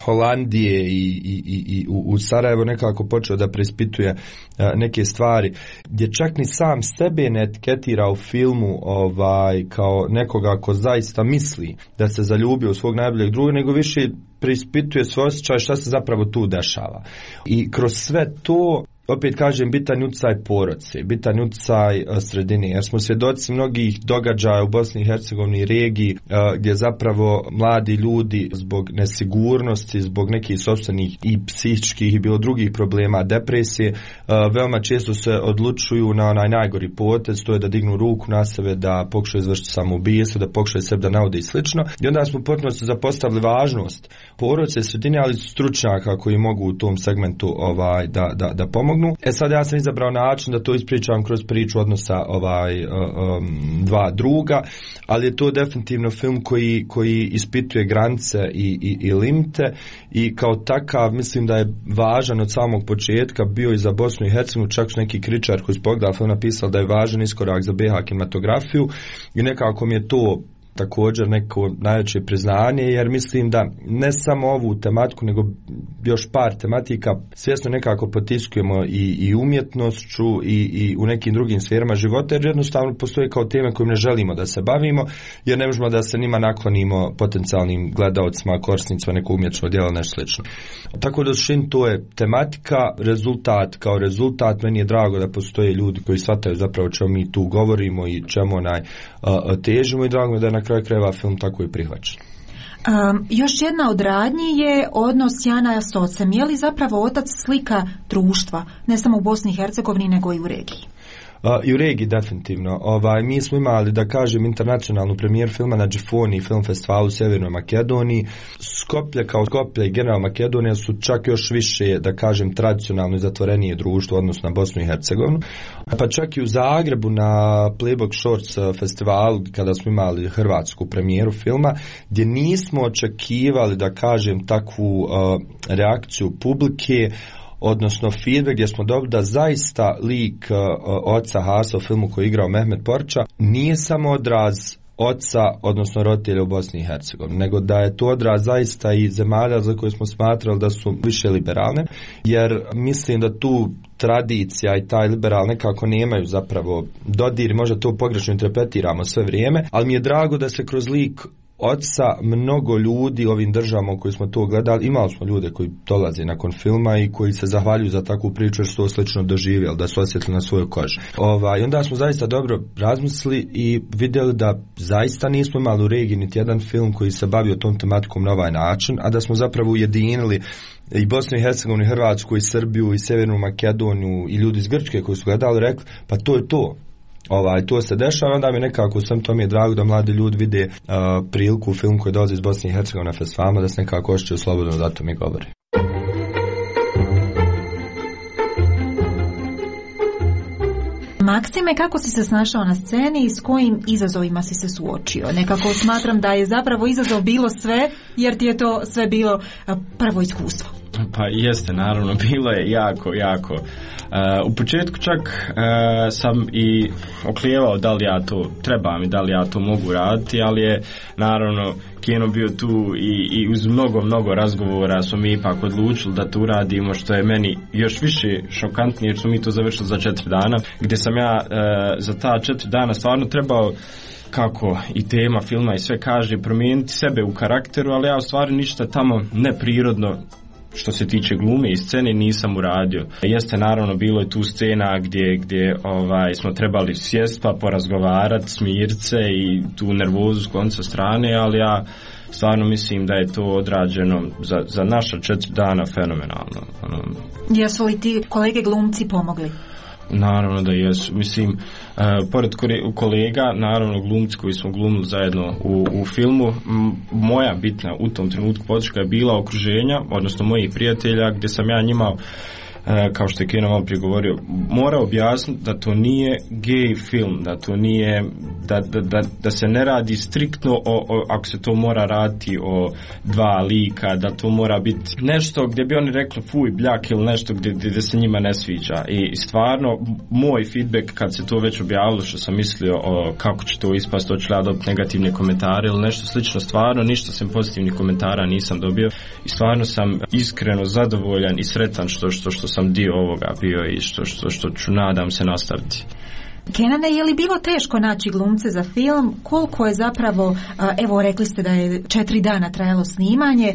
Holandije i u Sarajevo nekako počeo da preispituje neke stvari, gdje čak ni sam sebe ne etiketira u filmu kao nekoga ko zaista misli da se zaljubio u svog najboljeg druga, nego više preispituje svoj osjećaj šta se zapravo tu dešava. I kroz sve to, opet kažem, bitan utjecaj porodice, bitan utjecaj sredine, jer smo svjedoci mnogih događaja u Bosni i Hercegovini i regiji gdje zapravo mladi ljudi zbog nesigurnosti, zbog nekih sopstvenih i psihičkih i bilo drugih problema, depresije, veoma često se odlučuju na onaj najgori potez, to je da dignu ruku na sebe, da pokušaju izvršiti samoubistvo, da pokušaju sebe da naude i slično. I onda smo potpuno se zapostavili važnost porodice, sredine, ali stručnjaka koji mogu u tom segmentu da pomognu. Sad ja sam izabrao način da to ispričam kroz priču odnosa dva druga, ali je to definitivno film koji ispituje granice i limite i kao takav mislim da je važan od samog početka bio i za Bosnu i Hercegovinu. Čak su neki kritičari koji su pogledali film napisali da je važan iskorak za BiH kinematografiju i nekako mi je to također neko najveće priznanje, jer mislim da ne samo ovu tematiku nego još par tematika svjesno nekako potiskujemo i umjetnošću i u nekim drugim sferama života, jer jednostavno postoje kao teme kojim ne želimo da se bavimo, jer ne možemo da se njima naklonimo potencijalnim gledaocima, korisnicima nekog umjetničkog djela, nešto slično. Tako da suštini to je tematika, kao rezultat meni je drago da postoje ljudi koji shvataju zapravo čemu mi tu govorimo i čemu težimo i drago mi da je na kraju krajeva film tako i prihvaćen.
Još jedna od radnji je odnos Jana s ocem. Je li zapravo otac slika društva, ne samo u Bosni i Hercegovini, nego i u regiji?
I u regiji definitivno. Mi smo imali, da kažem, internacionalnu premijer filma na Džifoni film festivalu u Sjevernoj Makedoniji. Skoplje i general Makedonija su čak još više, da kažem, tradicionalno i zatvorenije društvo odnosno na Bosnu i Hercegovinu. Pa čak i u Zagrebu na Playbook Shorts festivalu kada smo imali hrvatsku premijeru filma, gdje nismo očekivali, da kažem, takvu reakciju publike, odnosno feedback gdje smo dobili da zaista lik oca Hasa u filmu koji je igrao Mehmet Porča nije samo odraz oca, odnosno roditelja u Bosni i Hercegovini, nego da je to odraz zaista i zemalja za koje smo smatrali da su više liberalne, jer mislim da tu tradicija i taj liberal nekako nemaju zapravo dodir, možda to pogrešno interpretiramo sve vrijeme, ali mi je drago da se kroz lik oca mnogo ljudi ovim državama u kojoj smo to gledali, imali smo ljude koji dolaze nakon filma i koji se zahvaljuju za takvu priču jer su to slično doživjeli, da su osjetili na svojoj koži. I onda smo zaista dobro razmislili i vidjeli da zaista nismo imali u regiji niti jedan film koji se bavio tom tematikom na ovaj način, a da smo zapravo ujedinili i Bosnu i Hercegovinu, i Hrvatsku, i Srbiju, i Sjevernu Makedoniju i ljudi iz Grčke koji su gledali, rekli pa to je to. To se dešava, onda mi nekako sam to mi je drago da mladi ljudi vide priliku u filmu koji dolazi iz Bosne i Hercegovine na festivalima, da se nekako osjećaju slobodno, da to mi govori.
Maksime, kako si se snašao na sceni i s kojim izazovima si se suočio? Nekako smatram da je zapravo izazov bilo sve, jer ti je to sve bilo prvo iskustvo.
Pa jeste, naravno, bilo je jako. U početku čak sam i oklijevao da li ja to trebam i da li ja to mogu raditi, ali je naravno kino bio tu i uz mnogo razgovora smo mi ipak odlučili da to uradimo, što je meni još više šokantnije jer smo mi to završili za 4 dana, gdje sam ja za ta 4 dana stvarno trebao, kako i tema filma i sve kaže, promijeniti sebe u karakteru, ali ja u stvari ništa tamo neprirodno što se tiče glume i scene nisam uradio. Jeste, naravno, bilo je tu scena gdje smo trebali sjest pa porazgovarati, smirit se i tu nervozu skloniti sa strane, ali ja stvarno mislim da je to odrađeno za naša 4 dana fenomenalno.
Jesu li ti kolege glumci pomogli?
Naravno da jesu. Mislim, pored kolega, naravno glumci koji smo glumili zajedno u filmu, moja bitna u tom trenutku podrška je bila okruženja, odnosno mojih prijatelja, gdje sam ja njima, kao što je Keno malo prije govorio, mora objasniti da to nije gay film, da to nije, da se ne radi striktno ako se to mora raditi o 2 lika, da to mora biti nešto gdje bi oni rekli fuj, bljak ili nešto gdje se njima ne sviđa. I stvarno, moj feedback kad se to već objavilo, što sam mislio kako će to ispast, hoću ja dobiti negativne komentare ili nešto slično, stvarno ništa sem pozitivnih komentara nisam dobio i stvarno sam iskreno zadovoljan i sretan što sam dio ovoga bio i što ću, nadam se, nastaviti.
Kenane, je li bilo teško naći glumce za film? Koliko je zapravo, evo rekli ste da je 4 dana trajalo snimanje,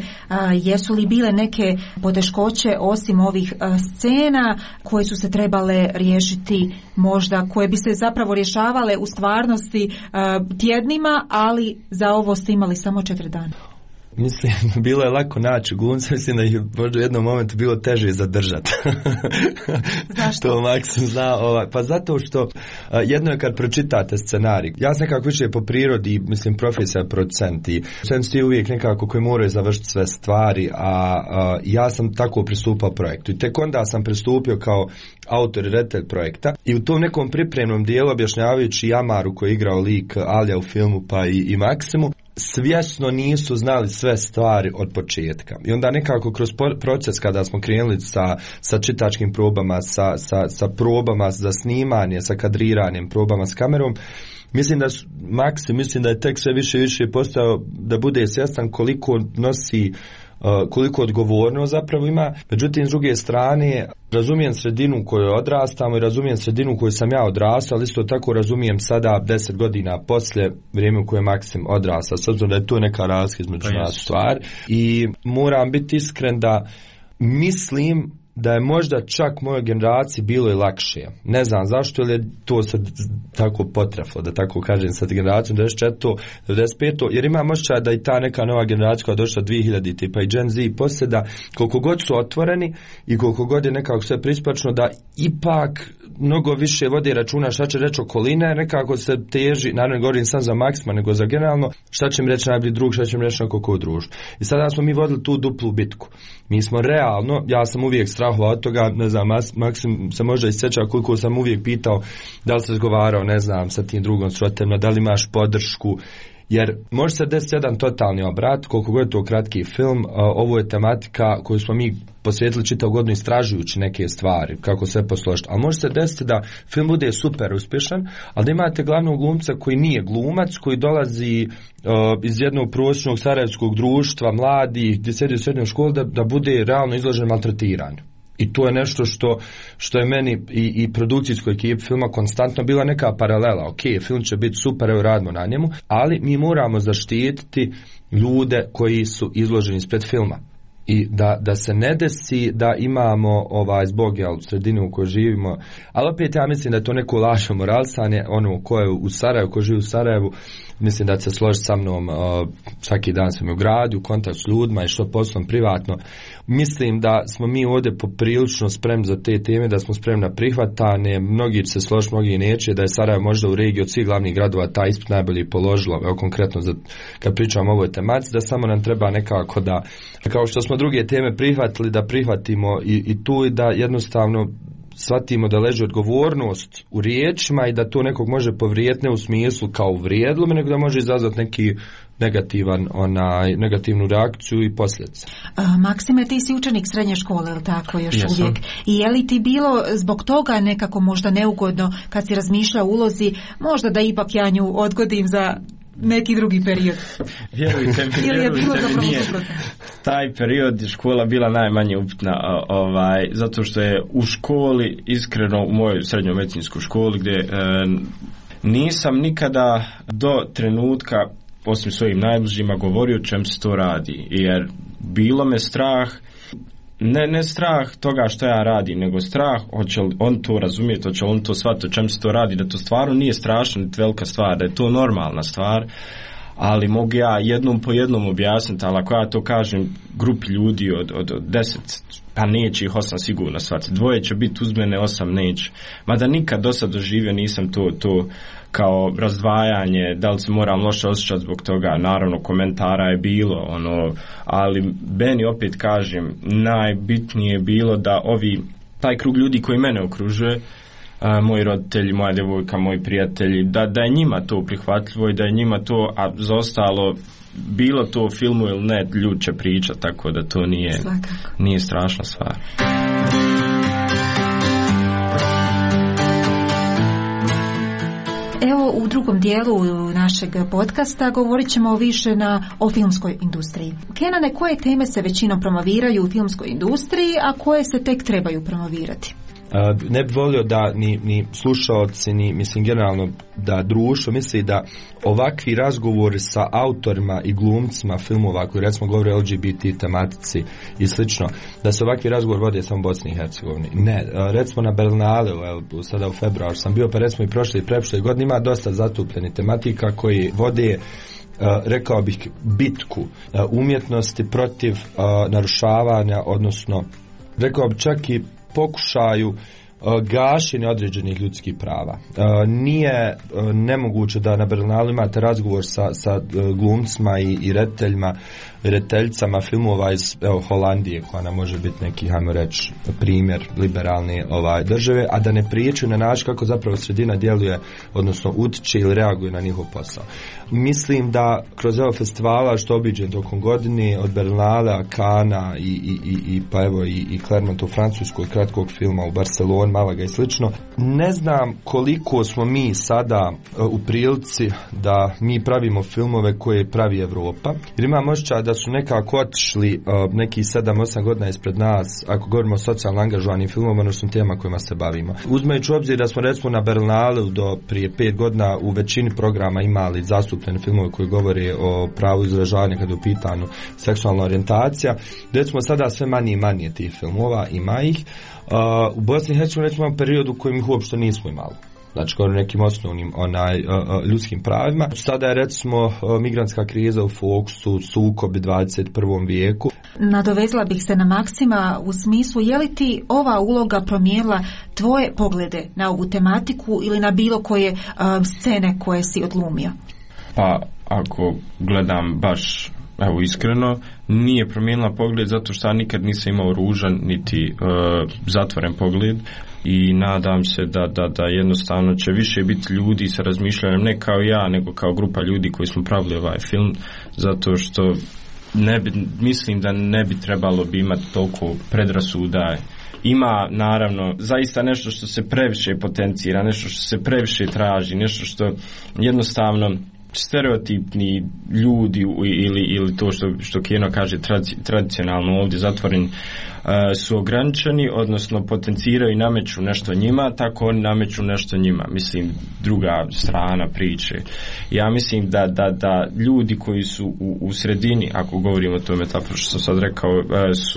jesu li bile neke poteškoće osim ovih scena koje su se trebale riješiti možda, koje bi se zapravo rješavale u stvarnosti tjednima, ali za ovo ste imali samo 4 dana?
Mislim, bilo je lako naći glumce, mislim da ih možda u jednom momentu bilo teže zadržati.
Zašto?
To Maksim zna. Pa zato što jedno je kad pročitate scenarij. Ja sam nekako više po prirodi, mislim, profesija producent i producent je uvijek nekako koji moraju završiti sve stvari, a ja sam tako pristupao projektu. I tek onda sam pristupio kao autor i redatelj projekta i u tom nekom pripremnom dijelu, objašnjavajući Amaru koji je igrao lik Alija u filmu pa i Maksimu, svjesno nisu znali sve stvari od početka. I onda nekako kroz proces kada smo krenuli sa čitačkim probama, sa probama za snimanje, sa kadriranjem, probama s kamerom, mislim da je tek sve više i više postao da bude svjestan koliko nosi, koliko odgovornost zapravo ima. Međutim, s druge strane, razumijem sredinu u kojoj odrastamo i razumijem sredinu u kojoj sam ja odrastao, ali isto tako razumijem sada 10 godina poslije vrijeme u kojem Maksim odrastao, s obzirom da je to neka razlika između nas stvar. I moram biti iskren da mislim da je možda čak mojoj generaciji bilo i lakše. Ne znam zašto, ili je to sad tako potreflo, da tako kažem, sad generacijom 94. 95. jer imam osjećaj da i ta neka nova generacija koja je došla 2000 tipa i Gen Z i poslije, da koliko god su otvoreni i koliko god je nekako sve prispačno, da ipak mnogo više vodi računa šta će reći okoline, nekako se teži, naravno ne govorim sam za Maksima, nego za generalno, šta će mi reći najbolji drug, šta će mi reći neko ko u društvu. I sada smo mi vodili tu duplu bitku. Mi smo realno, ja sam uvijek strahovao od toga, ne znam, Maksim se možda isjeća koliko sam uvijek pitao da li se razgovarao, ne znam, sa tim drugom srotemno, da li imaš podršku, jer može se desiti jedan totalni obrat, koliko god je to kratki film, ovo je tematika koju smo mi posvetili čitavu godinu istražujući neke stvari, kako sve posložiti, ali može se desiti da film bude super uspješan, ali da imate glavnog glumca koji nije glumac, koji dolazi iz jednog prosječnog sarajevskog društva, mladih, gdje sjedi u srednjoj školi, da bude realno izložen maltretiranju. I to je nešto što je meni i produkcijskoj ekipi filma konstantno bila neka paralela. Ok, film će biti super, evo radimo na njemu, ali mi moramo zaštititi ljude koji su izloženi ispred filma. I da se ne desi da imamo zbog sredinu u kojoj živimo, ali opet ja mislim da je to neko lažno moralisanje, ono ko je u Sarajevu, ko živi u Sarajevu, mislim da se složi sa mnom, svaki dan sam u gradu, u kontakt s ljudima i što poslom privatno. Mislim da smo mi ovdje poprilično spremni za te teme, da smo spremni na prihvatane, mnogi će se složiti, mnogi neće, da je Sarajevo možda u regiji od svih glavnih gradova taj ispit najbolje položilo, evo konkretno kad pričam o ovoj tematici, da samo nam treba nekako da, kao što smo druge teme prihvatili, da prihvatimo i tu i da jednostavno shvatimo da leži odgovornost u riječima i da to nekog može povrijediti, ne u smislu kao uvrijedilo, nego da može izazvati neki negativnu reakciju i posljedice.
Maksime, ti si učenik srednje škole, ili tako, još uvijek? I je li ti bilo zbog toga nekako možda neugodno kad si razmišljao o ulozi, možda da ipak ja nju odgodim za neki drugi period?
Vjerujte mi, nije taj period škola bila najmanje upitna, zato što je u školi, iskreno u mojoj srednjoj medicinskoj školi, gdje nisam nikada do trenutka, osim svojim najbližima, govorio čem se to radi, jer bilo me strah, ne strah toga što ja radim, nego strah hoće li on to razumjeti, hoće li on to shvatiti o čem se to radi, da to stvarno nije strašna niti velika stvar, da je to normalna stvar, ali mogu ja jednom po jednom objasniti, ali ako ja to kažem grupi ljudi od 10, pa neće ih 8 sigurno shvatiti, 2 će biti uz mene, 8 neće, mada nikad do sad doživio nisam to kao razdvajanje, da li se moram loše osjećati zbog toga, naravno komentara je bilo, ali meni opet kažem, najbitnije je bilo da taj krug ljudi koji mene okružuje, moji roditelji, moja djevojka, moji prijatelji, da je njima to prihvatljivo i da je njima to, a za ostalo, bilo to u filmu ili ne, ljudi će pričati, tako da to nije strašna stvar.
Evo, u drugom dijelu našeg podcasta govorit ćemo više o filmskoj industriji. Kenane, koje teme se većinom promoviraju u filmskoj industriji, a koje se tek trebaju promovirati?
Ne bi volio da ni slušaoci, ni mislim generalno da društvo misli da ovakvi razgovori sa autorima i glumcima filmova koji recimo govore o LGBT tematici i slično, da se ovakvi razgovor vode samo u Bosni i Hercegovini. Ne, recimo na Berlinale, sada u februaru sam bio, pa recimo i prošle i preprošle godine ima dosta zatupljeni tematika koji vode, rekao bih, bitku umjetnosti protiv narušavanja, odnosno rekao bih čak i pokušaju gašenja određenih ljudskih prava. Nije nemoguće da na Berlinalu imate razgovor sa glumcima i rediteljicama filmova iz Holandije, koja nam može biti neki, hajmo reći, primjer liberalne države, a da ne pričaju na način kako zapravo sredina djeluje, odnosno utiče ili reaguje na njihov posao. Mislim da kroz evo festivala što obiđen tokom godine, od Berlinala, Kana i pa evo i Clermont u Francuskoj, kratkog filma u Barceloni, Malaga i slično, ne znam koliko smo mi sada u prilici da mi pravimo filmove koje pravi Evropa, jer imam osjećaj da su nekako otišli neki 7-8 godina ispred nas, ako govorimo o socijalno angažovanim filmovima, odnosno tema kojima se bavimo. Uzmajući u obzir da smo recimo na Berlinalu do prije 5 godina u većini programa imali zastupljene filmove koji govore o pravu izražavanja kada je u pitanju seksualna orijentacija, recimo sada sve manje i manje tih filmova, ima ih. U Bosni i Hercegovini imamo period u kojem ih uopšte nismo imali. Znači, kao nekim osnovnim ljudskim pravima. Sada je recimo migrantska kriza u fokusu, sukobi 21. vijeku.
Nadovezla bih se na Maksima u smislu, je li ti ova uloga promijenila tvoje poglede na ovu tematiku ili na bilo koje scene koje si odglumio?
Pa, ako gledam baš iskreno, nije promijenila pogled zato što ja nikad nisam imao ružan niti zatvoren pogled i nadam se da jednostavno će više biti ljudi sa razmišljanjem ne kao ja, nego kao grupa ljudi koji smo pravili ovaj film, zato što mislim da ne bi trebalo bi imati toliko predrasuda. Ima naravno zaista nešto što se previše potencira, nešto što se previše traži, nešto što jednostavno stereotipni ljudi ili to što Keno kaže tradicionalno ovdje zatvoreni su ograničeni, odnosno potenciraju i nameću nešto njima, tako oni nameću nešto njima. Mislim, druga strana priče. Ja mislim da ljudi koji su u sredini, ako govorimo o tome tako što sam sad rekao,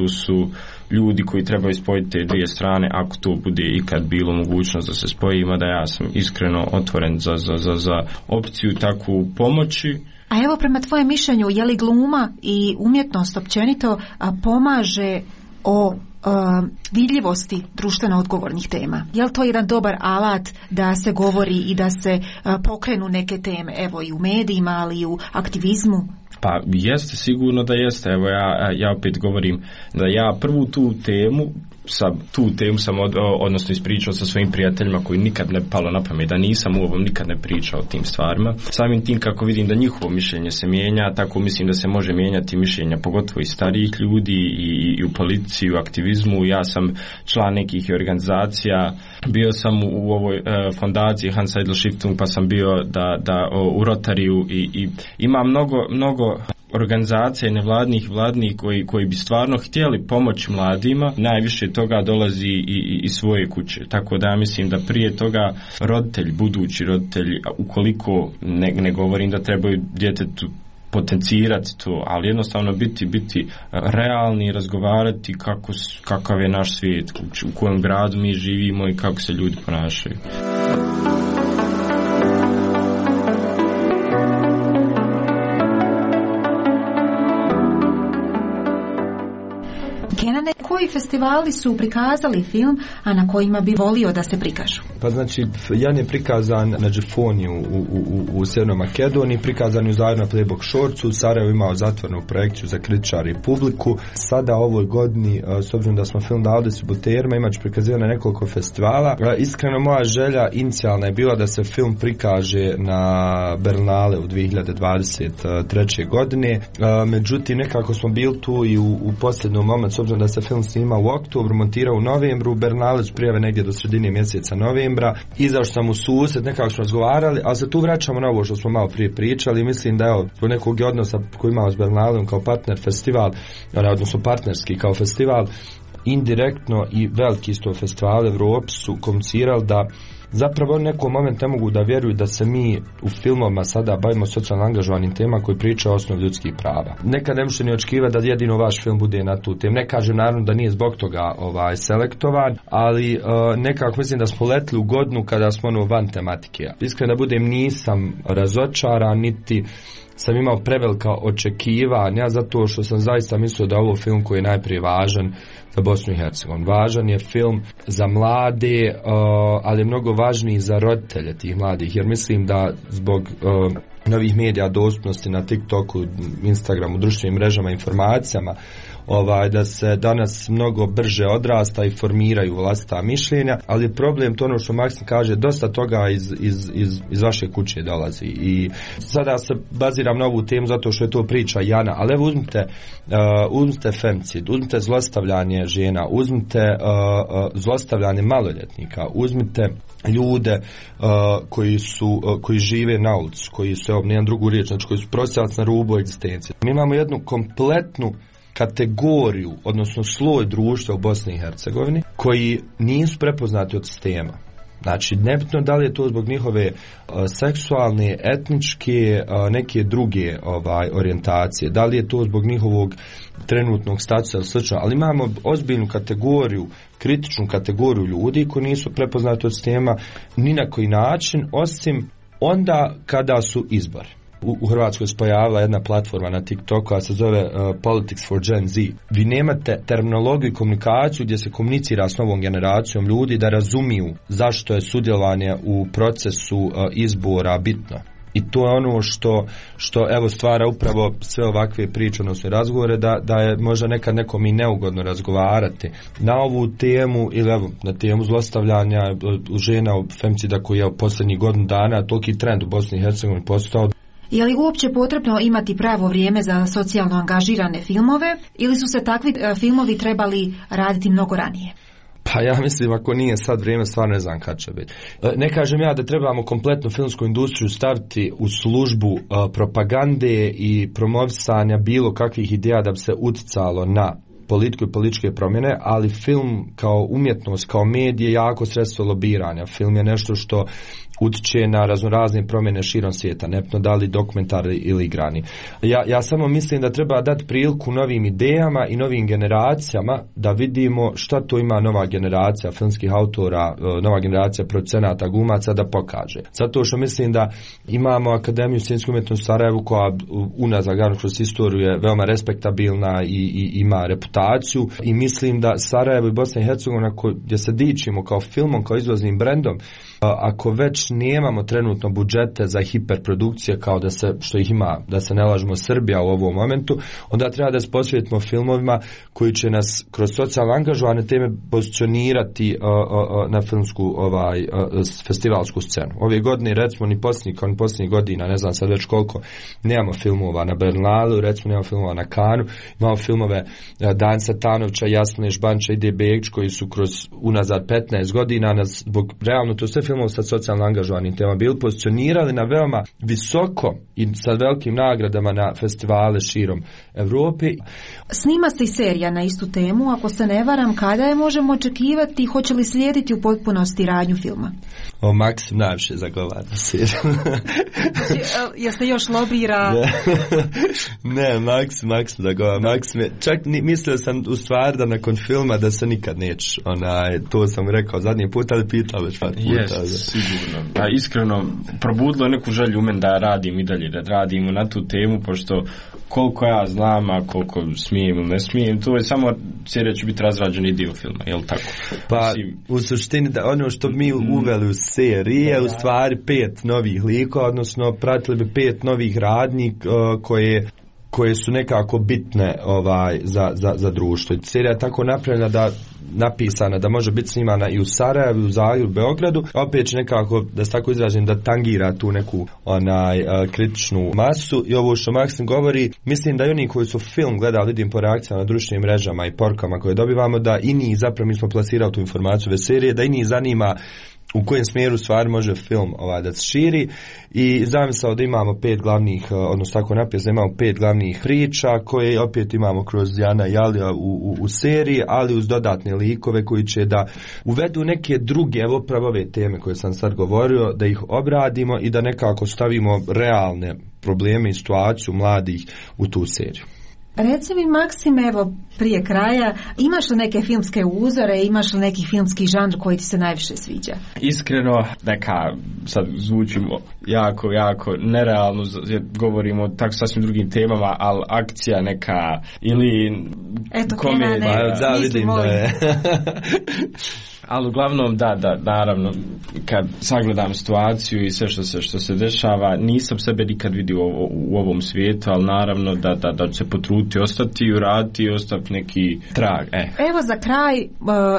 su ljudi koji trebaju spojiti te dvije strane, ako to bude ikad bilo mogućnost da se spoji, da ja sam iskreno otvoren za opciju takvu pomoći.
A evo, prema tvojem mišljenju, je li gluma i umjetnost općenito pomaže o vidljivosti društveno odgovornih tema. Je li to jedan dobar alat da se govori i da se pokrenu neke teme, evo i u medijima, ali i u aktivizmu?
Pa jeste, sigurno da jeste. Evo ja opet govorim da ja prvu tu temu sam odnosno ispričao sa svojim prijateljima koji nikad ne palo na pamet, da nisam u ovom nikad ne pričao o tim stvarima. Samim tim kako vidim da njihovo mišljenje se mijenja, tako mislim da se može mijenjati mišljenja pogotovo i starijih ljudi i u politici, i u aktivizmu. Ja sam član nekih organizacija, bio sam u ovoj fondaciji Hans Seidel Stiftung, pa sam bio u Rotariju i ima mnogo organizacija nevladnih vladnih koji bi stvarno htjeli pomoći mladima. Najviše toga dolazi iz svoje kuće, tako da ja mislim da prije toga budući roditelji, ukoliko ne govorim da trebaju djetetu potencirati to, ali jednostavno biti realni i razgovarati kakav je naš svijet, u kojem gradu mi živimo i kako se ljudi ponašaju.
Kenane, koji festivali su prikazali film, a na kojima bi volio da se prikažu?
Pa znači, jedan je prikazan na Džefoniju u Sjevernoj Makedoniji, prikazan je u Zajedno Playbook Shortsu, u Sarajevu imao zatvorenu projekciju za kritičare i publiku. Sada ovoj godini, s obzirom da smo film dali distributerima, imat ću prikazivati na nekoliko festivala. Iskreno, moja želja inicijalna je bila da se film prikaže na Berlinale u 2023. godine. Međutim, nekako smo bili tu i u posljednom momentu, s obzirom da se film snima u oktobru, montirao u novembru, Berlinale su prijave negdje do sredine mjeseca novembra. Izašao sam u susret, nekako smo razgovarali, ali se tu vraćamo na ovo što smo malo prije pričali. Mislim da evo, po nekog odnosa koji imamo s Berlinalom kao partner festival, odnosno partnerski kao festival, indirektno i veliki isto festival Evropi su komunicirali da zapravo u nekom momentu ne mogu da vjeruju da se mi u filmovima sada bavimo socijalno angažovanim tema koji priča o osnovi ljudskih prava. Nekad ne možete ni očekivati da jedino vaš film bude na tu temu. Ne kažem naravno da nije zbog toga selektovan, ali nekako mislim da smo letili u godinu kada smo van tematike. Iskreno da budem, nisam razočaran, niti sam imao prevelika očekivanja, zato što sam zaista mislio da je ovo film koji je najprije važan za Bosnu i Hercegovinu. Važan je film za mlade, ali je mnogo važniji za roditelje tih mladih, jer mislim da zbog novih medija, dostupnosti na TikToku, Instagramu, društvenim mrežama, informacijama, da se danas mnogo brže odrasta i formiraju vlastita mišljenja, ali je problem to ono što Maksim kaže, dosta toga iz vaše kuće dolazi i sada se baziram na ovu temu zato što je to priča Jana, ali evo uzmite femicid, uzmite zlostavljanje žena, uzmite zlostavljanje maloljetnika, uzmite ljude koji žive na ulici, koji su, nemam drugu riječ, znači koji su prosjelac na rubu egzistencije. Mi imamo jednu kompletnu kategoriju, odnosno sloj društva u Bosni i Hercegovini koji nisu prepoznati od sistema. Znači, nebitno da li je to zbog njihove seksualne, etničke, neke druge orijentacije, da li je to zbog njihovog trenutnog statusa ili slično, ali imamo ozbiljnu kategoriju, kritičnu kategoriju ljudi koji nisu prepoznati od sistema ni na koji način, osim onda kada su izbori. U Hrvatskoj se pojavila jedna platforma na TikToku koja se zove Politics for Gen Z. Vi nemate terminologiju i komunikaciju gdje se komunicira s novom generacijom ljudi da razumiju zašto je sudjelovanje u procesu izbora bitno. I to je ono što evo stvara upravo sve ovakve priče, odnosno razgovore, da je možda nekad nekom i neugodno razgovarati na ovu temu ili evo na temu zlostavljanja žena u femicida koji je u posljednjih godinu dana toliki trend u Bosni i Hercegovini postao.
Je li uopće potrebno imati pravo vrijeme za socijalno angažirane filmove ili su se takvi filmovi trebali raditi mnogo ranije?
Pa ja mislim, ako nije sad vrijeme, stvarno ne znam kad će biti. Ne kažem ja da trebamo kompletnu filmsku industriju staviti u službu propagande i promovisanja bilo kakvih ideja da bi se uticalo na politiku i političke promjene, ali film kao umjetnost, kao medij je jako sredstvo lobiranja. Film je nešto što utiče na raznorazne promjene širom svijeta, nepno da li dokumentarni ili igrani. Ja samo mislim da treba dati priliku novim idejama i novim generacijama da vidimo šta to ima nova generacija filmskih autora, nova generacija producenata, glumaca da pokaže. Zato što mislim da imamo Akademiju scenske umjetnosti u Sarajevu koja unazad kroz istoriju je veoma respektabilna i ima reputaciju i mislim da Sarajevo i Bosna i Hercegovina gdje se dičimo kao filmom, kao izvoznim brendom, ako već nemamo trenutno budžete za hiperprodukcije kao da se, što ih ima, da se ne lažemo, Srbija u ovom momentu, onda treba da se posvetimo filmovima koji će nas kroz socijalno angažovane teme pozicionirati na filmsku festivalsku scenu. Ove godine recimo ni posljednjih godina, ne znam sad već koliko, nemamo filmova na Bernalu, recimo nemamo filmova na Kanu, imamo filmove Dan Satanovića, Jasne Žbanča i Ide Begić koji su kroz unazad 15 godina zbog realno to sve filmova sa socijalno angažovanim tema bili pozicionirali na veoma visoko i sa velikim nagradama na festivale širom Evrope.
Snima se i serija na istu temu, ako se ne varam, kada je možemo očekivati, hoće li slijediti u potpunosti radnju filma?
Maksim najviše zagovara seriju.
Jel se još lobira?
Ne, Maksim zagovara. Čak mislio sam u stvari da nakon filma da se nikad neće. To sam rekao zadnji put, ali pitao već par puta.
Sigurno. Pa iskreno, probudilo je neku želju u meni da radim i dalje, da radimo na tu temu, pošto koliko ja znam, a koliko smijem ili ne smijem, to je samo serija će biti razrađeni dio filma, je li tako?
Pa u suštini da ono što mi uveli u seriji je u stvari 5 novih likova, odnosno pratili bi 5 novih radnji koje su nekako bitne za društvo. Serija je tako napisana da može biti snimana i u Sarajevu, u Zagrebu, Beogradu, opet će nekako, da se tako izrazim, da tangira tu neku kritičnu masu i ovo što Maksim govori, mislim da i oni koji su film gledali, vidim po reakcijama na društvenim mrežama i porukama koje dobivamo, da i njih, zapravo mi smo plasirali tu informaciju ove serije, da i njih zanima u kojem smjeru stvari može film da se širi i zamislao da imamo 5 glavnih, odnosno tako napisano, imamo 5 glavnih priča koje opet imamo kroz Jana i Alija u seriji, ali uz dodatne likove koji će da uvedu neke druge, evo pravo ove teme koje sam sad govorio, da ih obradimo i da nekako stavimo realne probleme i situaciju mladih u tu seriju.
Reci mi, Maksim, evo prije kraja, imaš li neke filmske uzore, imaš li neki filmski žanr koji ti se najviše sviđa?
Iskreno, sad zvučimo jako nerealno, jer govorimo o tako sasvim drugim temama, ali akcija neka ili komedija.
Da, vidim da je.
Ali uglavnom da, naravno, kad sagledam situaciju i sve što se dešava, nisam sebe nikad vidio u ovom svijetu, ali naravno da će se potruditi ostati i uraditi i ostaviti neki trag.
Evo za kraj,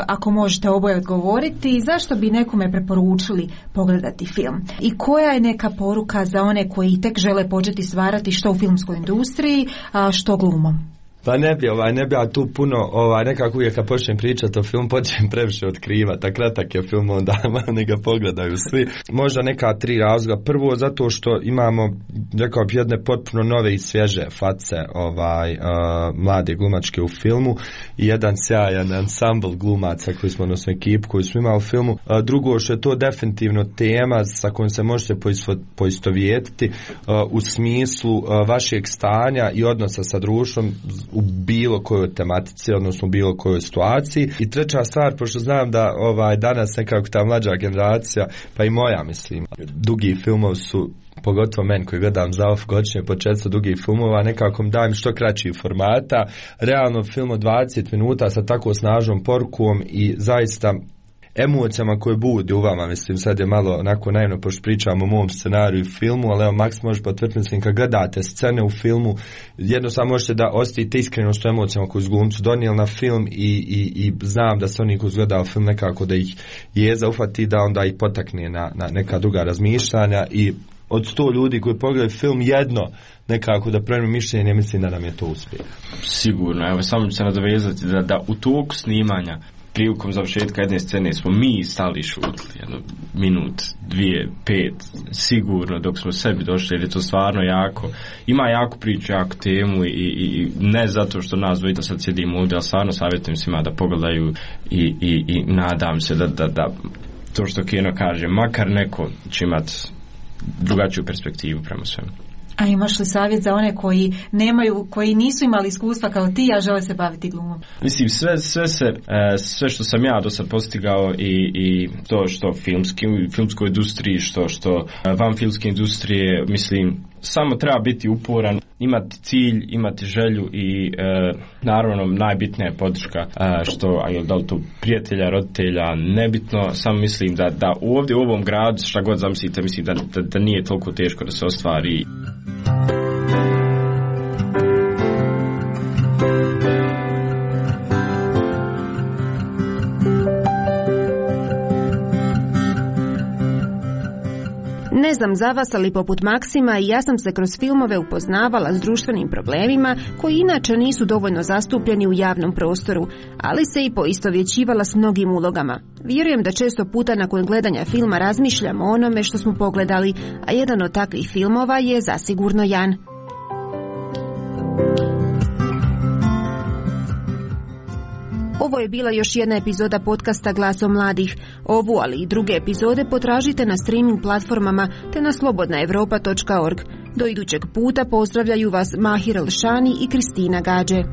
ako možete oboje odgovoriti, zašto bi nekome preporučili pogledati film? I koja je neka poruka za one koji tek žele početi stvarati što u filmskoj industriji, a što glumom?
Pa ne bi ja tu puno, nekako uvijek kad počnem pričati o filmu, počnem previše otkrivati, a kratak je film, onda ne ga pogledaju svi. Možda neka 3 razloga. Prvo, zato što imamo, rekao bih, jedne potpuno nove i svježe face mlade glumačke u filmu i jedan sjajan ansambl glumaca koji smo, odnosno ekipu koju smo imali u filmu. Drugo, što je to definitivno tema sa kojom se možete poistovjetiti u smislu vašeg stanja i odnosa sa društvom u bilo kojoj tematici, odnosno u bilo kojoj situaciji. I treća stvar, pošto znam da danas nekako ta mlađa generacija, pa i moja, mislim, dugi filmovi su, pogotovo meni koji gledam za off godišnje po 400 dugih filmova, nekako dajem što kraći formata. Realno film od 20 minuta sa tako snažnom porukom i zaista emocijama koje budi u vama, mislim, sad je malo onako naivno pošto pričamo o mom scenariju i filmu, ali evo Maks može potvrditi, mislim, kad gledate scene u filmu, jednostavno možete da osjetite iskrenost u emocijama koju su glumci donijeli na film i znam da se oni koji gledaju film nekako da ih jeza ufati, da onda ih potakne na neka druga razmišljanja i od 100 ljudi koji pogledaju film jedno nekako da promijeni mišljenje, mislim da nam je to uspjeh.
Sigurno, evo samo ću se nadovezati da u toku snimanja prilikom završetka jedne scene smo mi stali šutili, 1 minut, 2, 5, sigurno dok smo sebi došli, jer je to stvarno ima jako priču, jako temu i ne zato što nas dvojica sad sjedimo ovdje, ali stvarno savjetujem svima da pogledaju i nadam se da to što kino kaže, makar neko će imati drugačiju perspektivu prema svemu.
A imaš li savjet za one koji nisu imali iskustva kao ti, a žele se baviti glumom?
Mislim, sve što sam ja do sad postigao i to što filmskoj industriji, što van filmske industrije, mislim, samo treba biti uporan, imati cilj, imati želju i naravno najbitnija je podrška, da li to prijatelja, roditelja, nebitno, samo mislim da ovdje u ovom gradu, šta god zamislite, mislim da nije toliko teško da se ostvari.
Ne znam za vas, ali poput Maksima i ja sam se kroz filmove upoznavala s društvenim problemima koji inače nisu dovoljno zastupljeni u javnom prostoru, ali se i poistovjećivala s mnogim ulogama. Vjerujem da često puta nakon gledanja filma razmišljamo o onome što smo pogledali, a jedan od takvih filmova je zasigurno Jan. Ovo je bila još jedna epizoda podcasta Glasom mladih. Ovu, ali i druge epizode potražite na streaming platformama te na slobodnaevropa.org. Do idućeg puta pozdravljaju vas Mahir Elšani i Kristina Gađe.